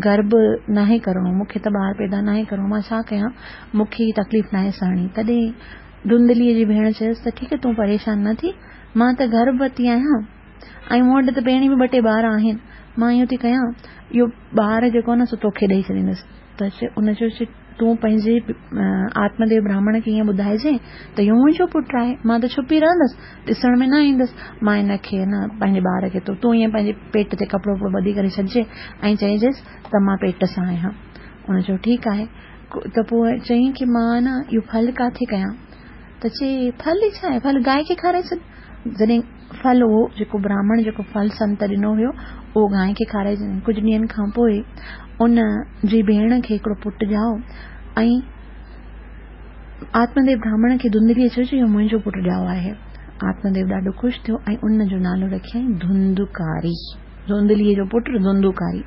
گرڀ ناهي ڪرڻو مون کي ته ٻار پيدا ناهي ڪرڻو مان ڇا ڪيان مون کي هي تڪليف ناهي سهڻي. تڏهن ڌونڌليء جي ڀيڻ چيس ته ٺيڪ تون پريشان نه ٿي مان ته گرڀوتي آهيان ۽ مون وٽ ته پهرين به ٻه ٽي ٻار آهن، مان ائين ٿي ڪيان، اهو ٻار جيڪو آهي نه سو توکي ڏئي ڇڏيندس. ته ان چيو چې تون پنهنجي آتم ديو براهمڻ کي ائين ٻڌائجين ته اهو منهنجو پٽ آهي، مان ته ڇپي رهندس، ڏسڻ ۾ نه ايندس، مان هن کي نه پنهنجي ٻار کي تون ائين پنهنجي پيٽ تي ڪپڙو وپڙو ٻڌي ڪري ڇڏجي ۽ چئجيس ته مان پيٽ سان آهيان. ان چيو ٺيڪ آهي. ته پوء چيائين ڪي مان نه اهو ڦل ڪاٿي ڪيان؟ ته چي ڦل ئي ڇا آهي ڦل گانء کي کارائي ڇڏ. جڏهن ڦل اهو جيڪو براهمڻ جيڪو ڦل سنت ڏنو هيو اهو گانء کي کارائي ڇڏ. ڪجهه ڏينهن کان پوء ان جي ڀيڻ کي هڪڙو پٽ ڄائو ۽ آتم ديو براهمڻ کي ڌنڌليء چيو اهو منهنجو پٽ ڄائو آهي. آتم ديو ڏاڍو خوش ٿيو ۽ ان جو نالو رکيائين ڌنڌوڪاري. ڌونڌليء جو پٽ ڌنڌوڪاري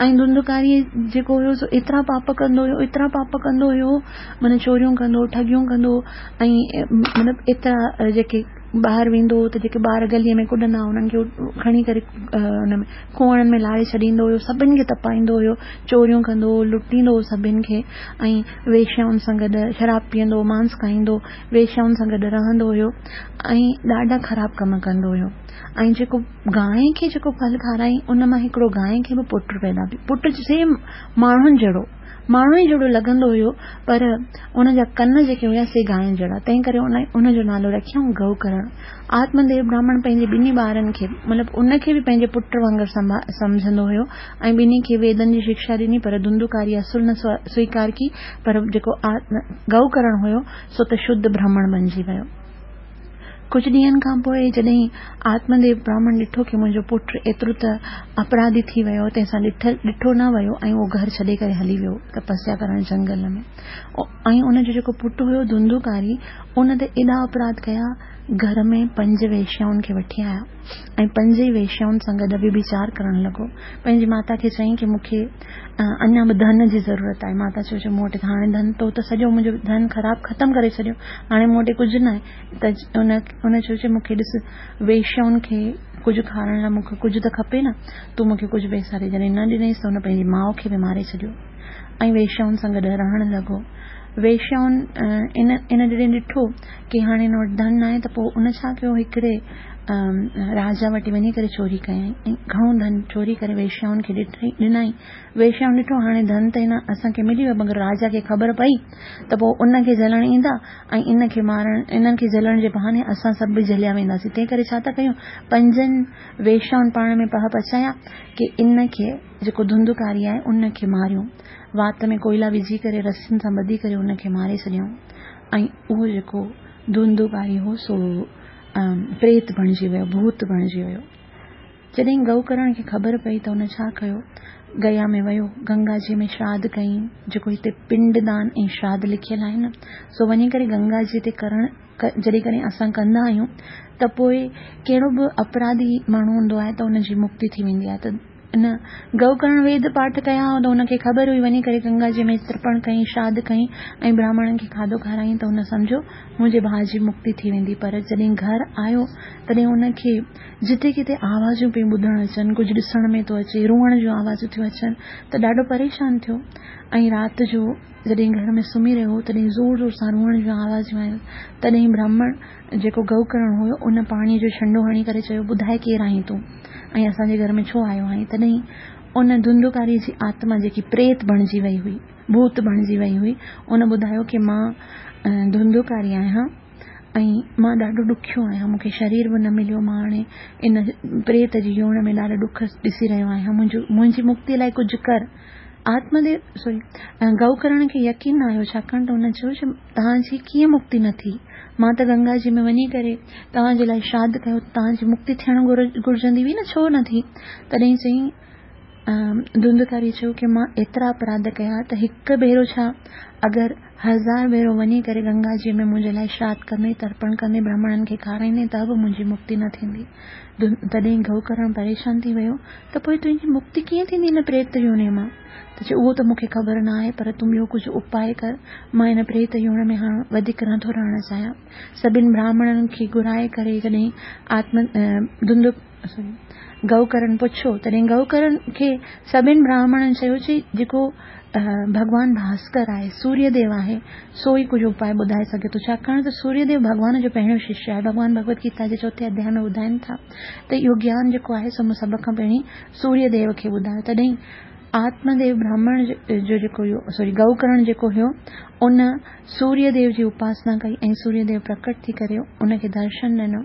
۽ ڌنڌوڪاري جيڪو هيو سو ايترا پاپ ڪندو هيو ايترا پاپ ڪندو هيو معنيٰ چوريون ڪندو هو ٺڳيون ڪندو هو ۽ مطلب ايترا جيڪي ٻاهر ويندو هو ته جيڪي ٻار گليء ۾ ڪڏندا هئا انهن کي کڻي ڪري ان ۾ کوهن ۾ لاهي ڇڏيندو هيو سڀني کي تپائيندو هيو چوريون ڪندو هو لٽيندو هو سڀني کي ۽ ويشيائن سان گڏ شراب پيئندو هو مانس کائيندو ويشيائن سان گڏ رهندو هيو ۽ ڏاڍا خراب ڪم ڪندو هيو ۽ جيڪو گانء کي جيڪو ڦل کارائين ان مان هڪڙو گانء کي به پٽ پيدا ٿيو. پٽ سيم ماڻهن جهڙو، ماڻهن ئي جهڙو لڳندو هيو پر ان جا ڪن جيڪي هيا سي گانء جهڙا، تنهن ڪري ان جو نالو رکيائون گئو ڪرڻ. آتم ديو براهمڻ پنهنجي ٻنهي ٻارن کي مطلب ان کي به پنهنجي پٽ وانگر سمجهندو هيو ۽ ٻنهي کي ويدن جي شڪشا ڏني پر ڌنڌوڪاري اصل نه سويڪار ڪئي پر جيڪو گئو ڪرڻ هيو سو ته شڌ برهمڻ بنجي ويو. ڪجهه ڏينهن کان پوء جڏهن آتمديو براهمڻ ڏٺو ڪي منهنجو پٽ ايترو ته اپراڌي ٿي ويو تنهن سان ڏٺو نه ويو ۽ اهو گهر ڇڏي ڪري هلي ويو تپسيا ڪرڻ جهنگل ۾ ۽ ان جو جيڪو پٽ هيو ڌنڌوڪاري ان ته ايڏا اپراڌ ڪيا گهر ۾ پنج ويشيائن کي وٺي آيا ۽ پنج ئي ويشيائن سان گڏ وڀيچار ڪرڻ لڳو. پنهنجي ماتا کي چيائين ڪي مون کي اڃا به ڌن جي ضرورت آهي. ماتا چيو مون وٽ ته هاڻي ڌن تو ته سڄو منهنجو ڌن خراب ختم ڪري ڇڏيو هاڻي مون وٽ ڪجهه ناهي ته ان چيو چي مون کي ڏس ويشيائن کي ڪجهه کارائڻ لاء مون کي ڪجهه ته کپي نه تون مون کي ڪجهه پئسا ڏي جڏهن نه ڏنائينس ته هن پنهنجي ماء کي به ماري ڇڏيو ۽ ويشيائن سان گڏ رهڻ لڳو. ويشيائن ان ان جڏهن ڏٺو ڪي هاڻي هن وٽ ڌن ناهي ته پوء ان ڇا ڪيو هڪڙي راجا وٽ وڃي ڪري چوري ڪيائين ۽ گهڻو ڌن چوري ڪري ويشيائن کي ڏنائين. ويشيائن ڏٺو هاڻي ڌن ته هن اسان کي ملي ويو مگر راجا کي خبر پئي ته پوء ان کي جهلڻ ايندا ۽ ان کي مارڻ انهن کي جهلڻ جي بهاني اسان سڀ به جهليا وينداسين تنهن ڪري ڇا ٿا ڪيون پنجن ويشيائن پاڻ ۾ پهه پچايا ڪي ان کي جيڪو ڌنڌڪاري آهي ان کي ماريون. وات ۾ ڪوئلا وجهي ڪري رسين سان ٻڌي ڪري ان کي ماري ڇڏيائون ۽ اهو جيڪو ڌنڌوڪاري هو سو پريت بڻجي ويو، ڀوت بڻجي ويو. جڏهن گئوڪرڻ کي خبر پئي ته ان ڇا ڪيو، گيا ۾ ويو، گنگا جي ۾ شراڌ ڪيائين، جيڪو هتي پنڊ دان ۽ شراڌ لکيل آهي نه، سو وڃي ڪري گنگا جي تي ڪرڻ جڏهن ڪڏهن اسان ڪندا آهيون ته پوء ڪهڙو به اپراڌي ماڻهو هوندو آهي ته ان جي مڪتي ٿي ويندي آهي ته ان گئوڪرڻ ويد پاٺ ڪيا هئا ته هن کي خبر هئي وڃي ڪري گنگا جي ۾ ترپڻ ڪيائين شراڌ ڪيائين ۽ براهمڻن کي کاڌو کارايائين ته هن سمجهيو منهنجي ڀاء جي مڪتي ٿي ويندي پر جڏهن گهر آيو تڏهن هن کي جتي ڪٿي آوازون پيون ٻڌڻ اچن ڪجهه ڏسڻ ۾ ٿو اچي روئڻ جون آوازون ٿيون اچن ته ڏاڍو پريشان ٿيو ۽ رات جو جڏهن گهر ۾ سمهي رهيو هو تڏهن زور زور سان روئڻ جون آوازون آيون تڏهن براهمڻ جيڪو گئوڪرڻ هيو ان پاڻيء جو ڇنڊو هڻي ڪري چيو ٻڌاء ڪير آهين تون ۽ اسان جي گهر ۾ ڇو آيو آهين تڏهن ان ڌنڌوڪاريء جي آتما جيڪي پريت بڻجي وئي هئي ڀوت بڻجي وئي هئي ان ٻڌايو ڪي مان ڌنڌوڪاري آهيان ۽ مان ڏاڍو ڏکيو آهيان مون کي شرير به نه مليو مان هاڻي ان پريت جي يوڻ ۾ ڏاڍا ڏک ڏسي رهيو آهيان منهنجو منهنجي مڪتي لاء ڪجهه ڪر آتم ديو سوري گئوڪرڻ کي يقين نه آيو ڇاڪاڻ ته هن چيو چې توهان جي ڪيئن مڪتي نه ٿي مان ته گنگا جي ۾ وڃي ڪري توهان جي لاء شراڌ ڪيو توهان جي مڪتي ٿيڻ گهرجندي هئي نه ڇو نه ٿي تڏهن چيائين ڌنڌڪاري چيو ڪي مان ايترا اپراڌ ڪيا ته هڪ ڀيرو ڇا اگر هزار ڀيرو وڃي ڪري گنگا جي ۾ منهنجي لاء شراڌ ڪندي ترپڻ ڪندي برهمڻن کي کارائيندي ته به منهنجي مڪتي نه ٿيندي تڏهن گئوڪرڻ پريشان ٿي ويو ته پوء تنهنجي مڪتي ڪيئن ٿيندي هن پريت يوني مان؟ ته چيو اهو ته مون کي خبر نه آهي پر تون ٻيو ڪجهه اپاء ڪر، مان هن پريت يوڻ ۾ هاڻ وڌيڪ نه ٿو رهڻ چاهيان. سڀن براهمڻن کي گهرائي ڪري جڏهن آتم ڌنڌ سوري گئوڪرڻ پڇيو تڏهن گئوڪرڻ کي سڀن براهمڻن چيو چي جيڪو ڀڳوان ڀاسڪر آهي، سوريه ديو آهي، سو ئي ڪجهه اپاء ٻڌائي سگهي ٿو، ڇاڪاڻ ته سوريه ديو ڀڳوان جو پهريون ششيه آهي. ڀڳوان ڀڳوت گيتا جي چوٿين اڌياء ۾ ٻڌائين ٿا ته اهو گيان جيڪو آهي سو مون سڀ کان پهرين سوريه ديو کي ٻڌايو. تڏهن آتم ديو براهمڻ جو جيڪو هيو سوري گئوڪرڻ جيڪو هيو ان سوريه ديو جي اپاسنا ڪئي ۽ سوريه ديو پرڪٽ ٿي ڪري ان کي درشن ڏنو.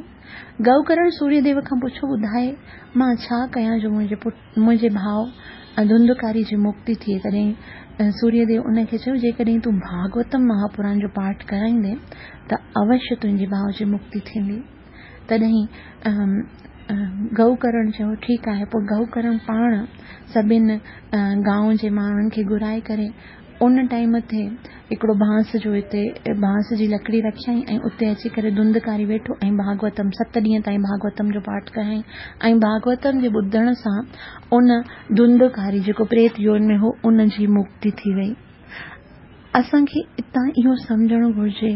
گئوڪرڻ سوريه ديو کان پڇيو ٻڌاء مان ڇا ڪيان جو منهنجي پٽ منهنجي ڀاء ڌنڌڪاري جي مڪتي ٿئي. تڏهن سوريه ديو ان کي چيو، جيڪڏهن تون ڀاڳوتم مهاپراڻ جو پاٺ ڪرائيندين ته اوشيه تنهنجي ڀاء جي مڪتي ٿيندي. تڏهن گئوڪرڻ چيو، ٺيڪ آهي. پوء گئوڪرڻ پاڻ سڀن گانء جي ماڻهن کي گهرائي ڪري ان ٽائيم تي هڪڙو بانس جو اتي بانس جي لڪڙي رکيائين ۽ اتي اچي ڪري ڌنڌڪاري ويٺو ۽ ڀاڳوتم ست ڏينهن تائين ڀاڳوتم جو پاٺ ڪيائين ۽ ڀاڳوتم جي ٻڌڻ سان ان ڌنڌڪاري جيڪو پريت يون ۾ هو ان جي مڪتي ٿي وئي. اسان کي اتان اهو سمجهڻ گهرجي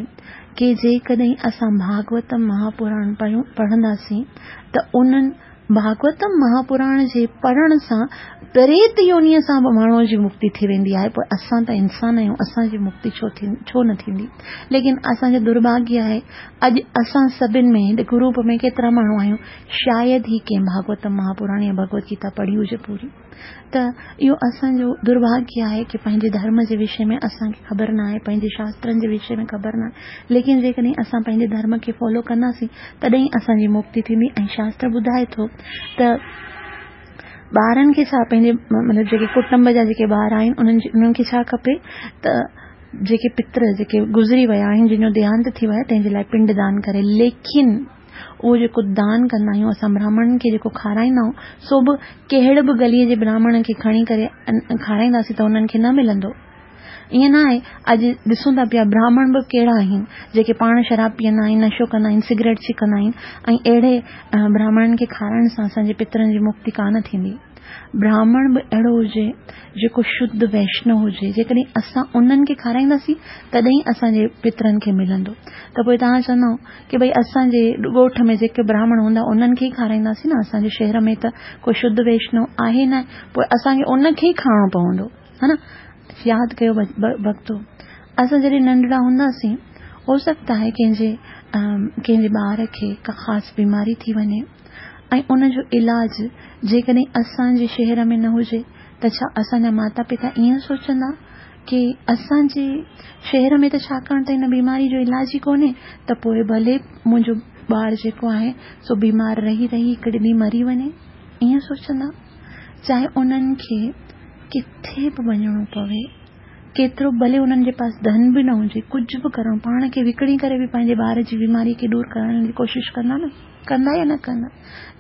ڪي جيڪڏهن اسان ڀاڳوتم مهاپراڻ پڙهنداسين ته انهن ڀاڳوتم مهاپراڻ جي پڙهڻ سان پريت يونيء سان به ماڻهوء جي مڪتي ٿي ويندي آهي پوء اسان ته انسان آهيون اسان جي مڪتي ڇو ٿي ڇو نه ٿيندي ليڪن اسان جو درڀاڳيه آهي اڄ اسان سڀن ۾ هن گروپ ۾ ڪيترا ماڻهو آهيون شايد ئي ڪنهن ڀاڳوتم مهاپراڻ يا ڀڳوت گيتا پڙهي هجي پوري ته اهو اسان جو درڀاڳيه آهي ڪي پنهنجي ڌرم جي وشي ۾ اسان کي خبر نه آهي پنهنجي شاسترن جي وشي ۾ خبر نه آهي ليڪن جيڪڏهن اسان پنهنجي ڌرم کي فالو ڪنداسين تڏهن ئي اسان جي مڪتي ٿيندي ۽ شاستر ٻڌائي ٿو ته ٻارن کي ڇا پنهنجي مطلب جيڪي ڪٽنب جا جيڪي ٻار آهن انهن جي انهن کي ڇا کپي ته جيڪي پتر جيڪي گذري ويا آهن جن جو ديهانت ٿي ويو آهي تنهن جي لاء پنڊ دان ڪري ليڪن اهو جيڪو دان ڪندا آهيون، اسان براهمڻن کي جيڪو کارائيندا آهيون، سو به ڪهڙي به گليء جي براهمڻ کي کڻي ڪري کارائينداسين ته انهن کي نه ملندو. ائين نه آهي، اڄ ڏسون ٿا پيا براهمڻ به ڪهڙا آهن، جيڪي پاڻ شراب پيئندا آهن، نشو ڪندا آهن، سگريٽ ڇڪندا آهن ۽ اهڙي براهمڻن کي کارائڻ سان اسان جي پترن جي مڪتي ڪانه ٿيندي. براهمڻ به اهڙو هجي جيڪو شڌ ويشنو هجي، جيڪڏهن اسان انهن کي کارائينداسين تڏهن ئي اسان جي پترن کي ملندو. ته پوء توهان چوندؤ ڪي ڀئي اسان جي ڳوٺ ۾ جيڪي براهمڻ هوندا انهن کي ئي کارائينداسين نه، اسان جي شهر ۾ ته ڪو شڌ ويشنو آهي نه، پوء اسان کي ان کي ئي کائڻو پوندو. ها نه؟ ياد ڪيو ڀڳتو، اسان جڏهن ننڍڙا هونداسين، هو سگهتا آهي ڪنهن جي ڪنهن جي ٻار کي ڪا خاص بيماري ٿي وڃي ۽ ان جو علاج جيڪڏهن اسان جي شهر ۾ نه هجي ته ڇا اسان جا ماتا پتا ائين سوچندا ڪي اسان جي شهر ۾ ته ڇاڪاڻ ته هن بيماري جو علاج ئي ڪونهي ته پوء ڀلي منهنجو ٻار جيڪو آهي سو بيمار رهي رهي هڪڙي ڏينهن مري وڃي؟ ائين سوچندا؟ چاهي انهن کي ڪٿي به وڃڻو پوي، ڪيترو ڀلي انهن جي پاس ڌن به نه هجي، ڪجهه به ڪرڻو، پاڻ کي وڪڻي ڪري به پنهنجي ٻار جي بيماري کي دور ڪرڻ جي ڪوشش ڪندا نه؟ ڪندا يا نه ڪندا؟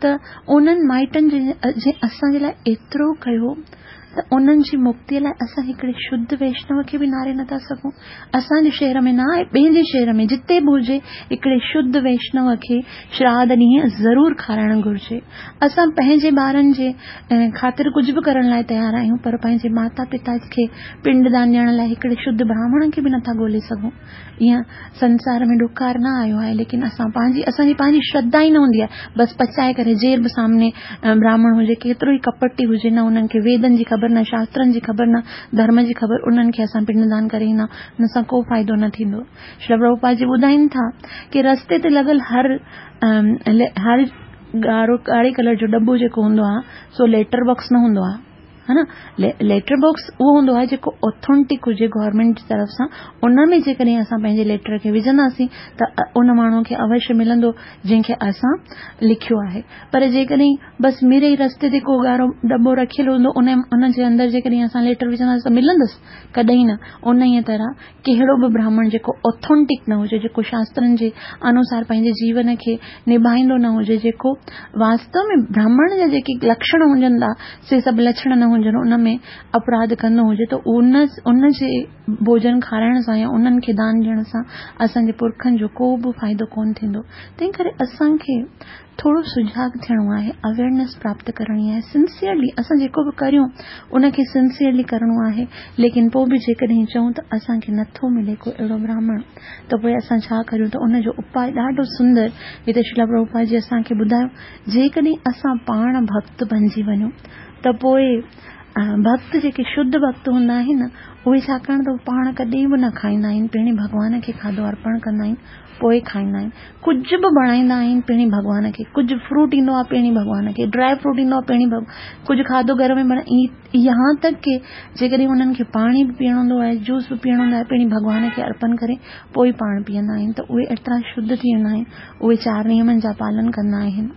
ته انهن مائٽن جنهن اسان جي لاء ايترو ڪيو ته انهن جي مڪتيء لاء اسان هڪڙي شڌ ويشنو کي به ناري نٿا سگهون. اسان جي شهر ۾ نه آهي، ٻئي جي شهر ۾ جتي به هجي، هڪڙي شڌ ويشنو کي شراڌ ڏينهن ضرور کارائڻ گهرجي. اسان پنهنجي ٻارن جي خاطر ڪجهه به ڪرڻ لاء تيار آهيون، پر پنهنجي ماتا پتا کي پنڊ دان ڏيڻ لاء هڪڙي شڌ براهمڻ کي به نٿا ڳولي سگهون. ايئن سنسار ۾ ڏڪار نه آيو آهي، ليڪن اسان پنهنجي اسان جي پنهنجي شرڌا ئي نه هوندي آهي. بس پچائي ڪري جير به سامني براهمڻ هجي، ڪيترو ئي ڪپٽي هجي، نه انهن کي ويدن جي خبر، نه شاسترن جي خبر، نه ڌرم جي خبر، انهن کي اسان پنڊ دان ڪري ايندا، ان سان ڪو فائدو نه ٿيندو. شريل پرڀوپاد جي ٻڌائين ٿا ڪي رستي تي لڳل هر هر ڳاڙهو ڳاڙهي ڪلر جو ڏٻو جيڪو هوندو آهي سو ليٽر باڪس نه هوندو آهي ها نه ليٽر باڪس اهو هوندو آهي جيڪو اوٿينٽڪ هجي گورنمينٽ جي طرف سان ان ۾ جيڪڏهن اسان پنهنجي ليٽر کي وجهنداسين ته ان ماڻهو کي اوشيه ملندو جنهن کي اسان لکيو آهي پر جيڪڏهن بس ميري ئي رستي تي ڪو ڳاڙهو ڏٻو رکيل هوندو ان ان جي اندر جيڪڏهن اسان ليٽر وجهنداسين ته ملندس ڪڏهن نه انهيء طرح ڪهڙو به براهمڻ جيڪو اوٿينٽڪ نه هجي، جيڪو شاسترن جي انوسار پنهنجي جيون کي نڀائيندو نه هجي، جيڪو واستو ۾ براهمڻ جا جيڪي لڪشڻ هجن ٿا، سي سڀ لڇڻ نه هجن، ان ۾ اپراڌ ڪندو هجي ته ان ان جي ڀوڄن کارائڻ سان يا انهن کي دان ڏيڻ سان اسان جي پرکن جو ڪو به فائدو ڪونه ٿيندو. تنهن ڪري اسان کي ٿورو سجاڳ ٿيڻو آهي، اويئرنيس پراپت ڪرڻي آهي، سنسيئرلي اسان جيڪو به ڪريون ان کي سنسيئرلي ڪرڻو آهي، ليڪن پوء به جيڪڏهن چئون ته اسان کي نٿو ملي ڪو اهڙو براهمڻ ته پوء اسان ڇا ڪريون ته ان جو اپاء ڏاڍو سندر هتي شريلا پرڀوپاد جي اسان کي ٻڌايو جيڪڏهن اسان پاڻ ڀڳت بنجي وڃون ته پوء ڀڳت جيڪي شڌ ڀڳت هوندا آهن اهي ڇاڪاڻ ته پاڻ ڪڏهن به نه کائيندا آهن پهرين ڀڳوان کي کاڌو ارپڻ ڪندا آهن پوء کائيندا آهن. ڪجهه به بڻائيندا آهن پهرين ڀڳوان کي. ڪجهه فروٽ ايندو آهي پهرين ڀڳوان کي. ڊرائي فروٽ ايندو آهي پهرين ڀڳ ڪجهه کاڌو گهر ۾ بڻائي يهان تڪ ڪي جيڪڏهن انهن کي پاڻي به پيئڻو هوندو آهي جوس به پيئڻو هوندو آهي پهرين ڀڳوان کي ارپن ڪري پوء پاڻ پيئندا آهن ته اهي ايترا شڌ ٿي ويندا آهن اهي چار نيمن جا پالن ڪندا آهن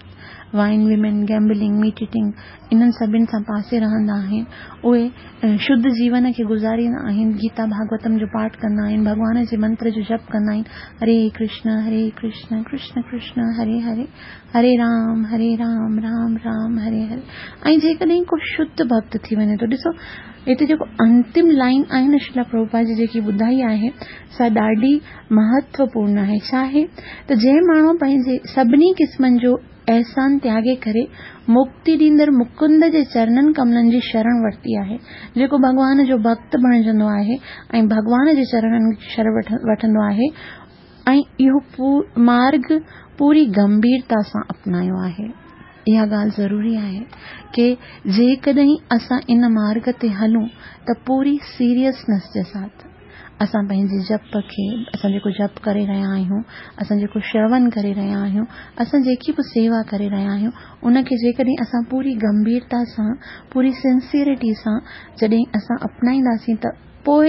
wine women gambling meat eating انهن سڀن سان پاسي رهندا آهن. اهي شڌ جيون کي گذاريندا آهن. گيتا ڀاڳوتم جو پاٺ ڪندا آهن. ڀڳوان جي منتر جو جپ ڪندا آهن. هري ڪرشن هري ڪرشن ڪرشن ڪرشن هري هري هري رام هري رام رام رام هري هري ۽ جيڪڏهن ڪو شڌ ڀڳت ٿي وڃي ٿو ڏسو هتي جيڪو انتم لائين آهي نه شريلا پرڀوپاد جي جيڪي ٻڌائي آهي سا ڏاڍي مهتوپورن آهي ڇا آهي ته جنهن ماڻهو پنهنجي سڀني قسمن جو احسان تياڳي ڪري مڪتي ڏيندڙ مڪند جي چرنن ڪملن جي شرڻ ورتي آهي. جيڪو ڀڳوان جو ڀڳت بڻجندو آهي ۽ ڀڳوان جي چرڻن جي شرڻ وٺندو آهي ۽ اهو مارڳ پوري گنڀيرتا سان اپنايو آهي. اها ڳالهه ضروري آهي ڪي جيڪڏهن اسان ان مارڳ تي هلون ته پوري سيريسنس جي ساٿ. اسان پنهنجي جپ کي، اسان جيڪو جپ ڪري رهيا آهيون، اسان جيڪو شرون ڪري رهيا آهيون، اسان جيڪي به سيوا ڪري رهيا آهيون، ان کي جيڪڏهن اسان پوري گنڀيرتا سان، پوري سنسيئرٽي سان جڏهن اسان اپنائينداسين ته پوء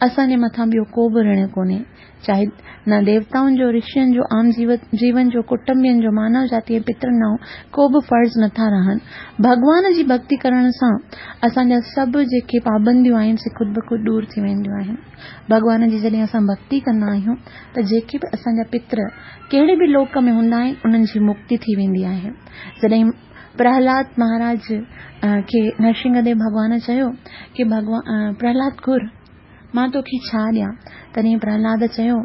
اسان جي مٿان ٻيو ڪو به رڻ ڪونهي، چاهي نه ديوتائن جو، رشين جو، عام جيون جو، ڪٽنبين جو، مانو جاتي ۽ پترن ڏانهن ڪو به فرض نٿا رهن. ڀڳوان جي ڀڳتي ڪرڻ سان اسان جا سڀ جيڪي پابنديون آهن سي خود بخود ڏور ٿي وينديون آهن. ڀڳوان جي جڏهن اسان ڀڳتي ڪندا آهيون ته جيڪي به اسان جا پتر ڪهڙي به لوڪ ۾ هوندا آهن انهن جي مڪتي ٿي ويندي آهي. جڏهن پرهلاد مهاراج کي نرسنگهه ديو ڀڳوان چيو ڪي ڀڳوان پرهلاد گهر مان توکي ڇا ڏيان؟ تڏهن پرهلاد چيو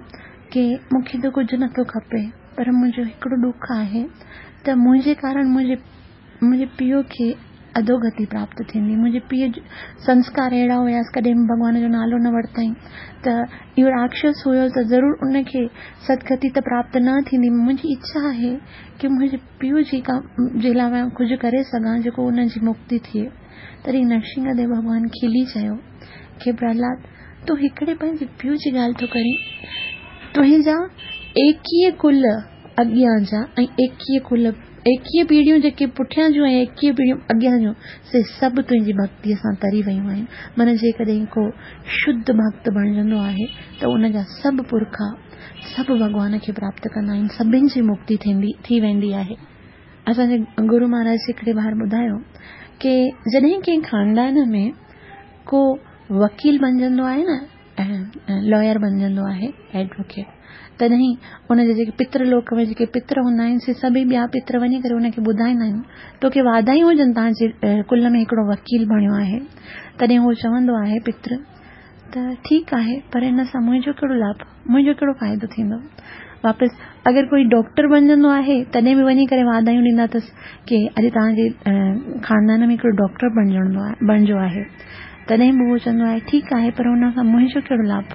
ڪي مون کي ته ڪجهه نٿو کپي پر منهنجو هڪڙو ڏک آهي ته منهنجي ڪارڻ منهنجي منهنجي پيء کي اڌوگتي پراپت ٿيندي. منهنجي پيء جو سنسڪار اهڙا هيس ڪڏهن به ڀڳوان جو نالو نه ورتائين ته اهو راڪشس هيو ته ضرور ان کي سدگتي ته پراپت نه ٿيندي. منهنجي اڇا آهي ڪي منهنجي پيء جي ڪا جي لاء مان ڪجهه ڪري سگهان جيڪو ان جي مڪتي ٿئي. تڏهن نرسنگهه ديو ڀڳوان کلي چيو ڪي پرهلاد تون هڪڙي پنهنجي پيء جي ڳالهه ٿو ڪرين. تنهنجا ايڪيهه ڪل اڳيان جا ۽ ايڪيهه ڪل ايڪيهه پيڙهيون جيڪي پٺيان جون ۽ ايڪيهه پيڙهيون اڳيان جون سي سڀ تنهنجي ڀڳتيء سان تري ويون آهن. معنيٰ جيڪڏهن ڪو شڌ ڀڳت بڻجندو آهي ته ان جا سڀ پرکا سڀ ڀڳوان کي پراپت ڪندا آهن، سڀن جي مڪتي ٿيندي ٿي ويندي آهي. اسان جي گرو مهاراج هڪڙي بار ٻڌايو ڪي جڏهن ڪنهن خاندان ۾ ڪو وڪيل بڻجندو آهي نه ۽ لائر بڻجندو آهي ايڊووڪيٽ تڏهن ان جي جيڪي پتر لوڪ ۾ جيڪي پتر هوندا آهن سي سڀئي ٻيا پتر وڃي ڪري ان کي ٻڌائيندا آهن توکي واڌايون هجن توهان جي ڪل ۾ هڪڙو وڪيل بڻيو آهي تڏهن هو چوندو آهي پتر ته ٺيڪ آهي پر ان سان منهنجو ڪهڙو لاڀ منهنجو ڪهڙو فائدو ٿيندو واپس اگر ڪوئي ڊاڪٽر بڻجندو آهي تڏهن به وڃي ڪري واڌايون ڏيندا اٿس ڪي اڄ توهان جي خاندان ۾ هڪڙو ڊاڪٽر بڻجڻو آهي بڻجو آهي تڏهن به اهو چوندو آهي ٺيڪ آهي پر ان سان منهنجو ڪهڙو لاڀ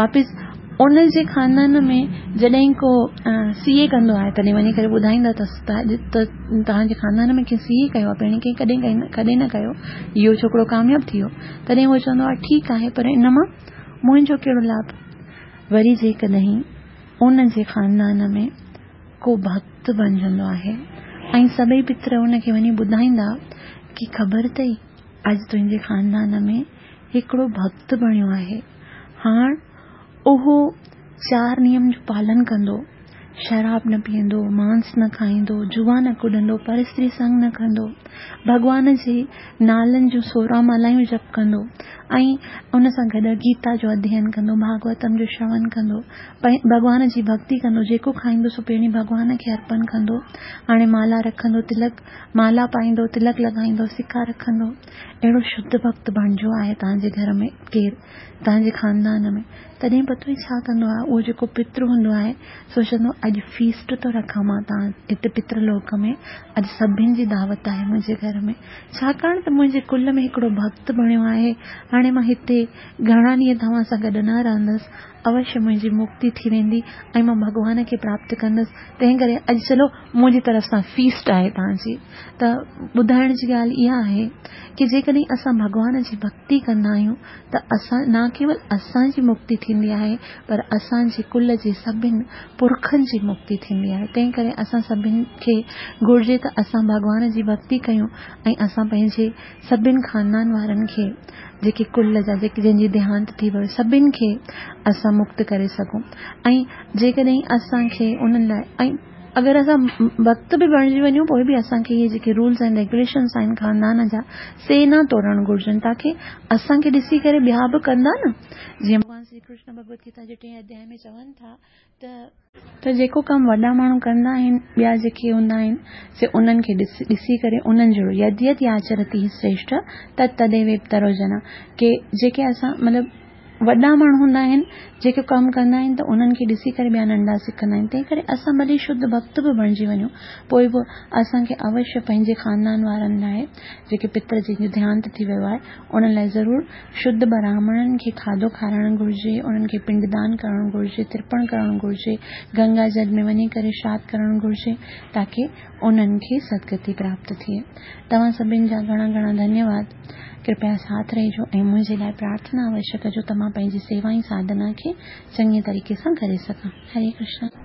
واپس ان جي خاندان ۾ جڏهن ڪو سي اي ڪندو آهي تڏهن وڃي ڪري ٻڌائيندا اٿس ته اڄ ته توهان جي خاندان ۾ ڪنهن سي اي ڪيو آهي پهرين ڪنهن ڪڏهن ڪڏهن نه ڪيو اهو ڇوڪرو ڪامياب ٿي ويو تڏهن اهو چوندو آهي ٺيڪ آهي پر ان مان منهنجو ڪهڙو لاڀ وري جيڪڏهن ان جي خاندان ۾ ڪو ڀڳت بڻجندو آهي ۽ سڀئي پتر ان کي وڃي ٻڌائيندا ڪي خبر اٿئي اڄ تنهنجي خاندان ۾ هڪڙو ڀڳت بڻيو آهي. هاڻ اهو چار نيم جو پالن ڪندو، شراب نه پيئندو، مانس نه کائيندو، جوا نه ڪڏندو، پر استري سنگ نه ڪندو، ڀڳوان جي نالن جون سورهن مالائون جپ ڪندو ۽ ان سان گڏ گيتا جو اڌيين ڪندو، ڀاڳوتم جو شرون ڪندو، ڀڳوان جي ڀڳتي ڪندو، جيڪو کائيندو سو پهرين ڀڳوان کي ارپن ڪندو، هاڻي مالا رکندو، تلڪ مالا پائيندو، تلڪ لڳائيندو، سڪا رکندو. اهڙو شڌ ڀڳت بڻجو آهي توهان جي گهر ۾ ڪير، توهان جي خاندان ۾، تڏهن پتو ئي ڇا ڪندو آهي، اهو جيڪو پتر هوندو آهي، سوچندو اڄ فيسٽ ٿو رکان مان توهان هتي پتر لوڪ ۾، اڄ سڀن جي دعوت آهي منهنجي گهر ۾، ڇاڪاڻ ته منهنجي ڪل ۾ هڪڙو ڀڳت بڻيو آهي، هاڻي مان هتي گهڻا ڏينهن توهان سان گڏ نه رهندس، اوشيه منهنجي مڪتي ٿي ويندي ۽ مان ڀڳوان کي پراپت ڪندس، تنهن ڪري اڄ چلو منهنجي طرف سان فيسٽ آهي توهان جي. ته ٻڌائڻ جي ڳالهه اها آهي ڪي جيڪڏهن اسان ڀڳوان جي ڀڳتي ڪندا آهيون ته اسان نه ڪيول اسان جي مڪتي ٿيندي آهي پر اسان جي ڪل جي سڀن پرکن جي مڪتي ٿيندي آهي تنهن ڪري اسان سڀن کي گهرجي ته اسان ڀڳوان جي ڀڳتي ڪيون ۽ اسان پنهنجي سڀن خاندان وارن کي جيڪي ڪل جا جيڪي جن جي ديهانت ٿي ويو سڀن کي اسان مڪت ڪري سگهون ۽ جيڪڏهن اسان کي انهن لاء ۽ اگر اسان ڀڳت به بڻجي وڃون پوء به اسان کي اهي جيڪي رولز ۽ ريگيوليشنز آهن خاندان جا سي نه ٽوڙڻ گهرجن تاڪي اسان کي ڏسي ڪري ٻيا به ڪندا نه جيئن ڀڳوان شري ڪرشن ڀڳوت گيتا جي ٽئين اڌيائي ۾ چون ٿا ته ته جيڪو ڪم وڏا ماڻهو ڪندا آهن ٻيا جيڪي هوندا آهن سي انهن کي ڏسي ڪري انهن جهڙو يد يد ياچرتي شريشٺ تت تديويترو جنا ڪي جيڪي اسان مطلب وڏا ماڻهو هوندا آهن جيڪي ڪم ڪندا آهن ته انهن کي ڏسي ڪري ٻيا ننڍا سکندا آهن تنهن ڪري اسان ڀلي شڌ ڀڳت به بڻجي وڃون پوء به اسان کي اوشيه پنهنجي خاندان وارن لاء جيڪي پتر جن جو ديهانت ٿي ويو آهي انهن لاء ضرور شڌ براهمڻن کي کاڌو کارائڻ گهرجي انهن کي پنڊدان ڪرڻ گهرجي ترپڻ ڪرڻ گهرجي گنگا جل ۾ وڃي ڪري شراڌ ڪرڻ گهرجي تاڪي انهن کي سدگتي پراپت ٿئي. توهان سڀن جا گهڻا گهڻا ڌنيواد. ڪرپيا ساٿ رهجو ۽ منهنجي لاء پرارٿنا اوشيه ڪجو ته مان پنهنجي سيوا ۽ ساڌنا کي چڱي طريقي سان ڪري سگهان. هري ڪرشنا.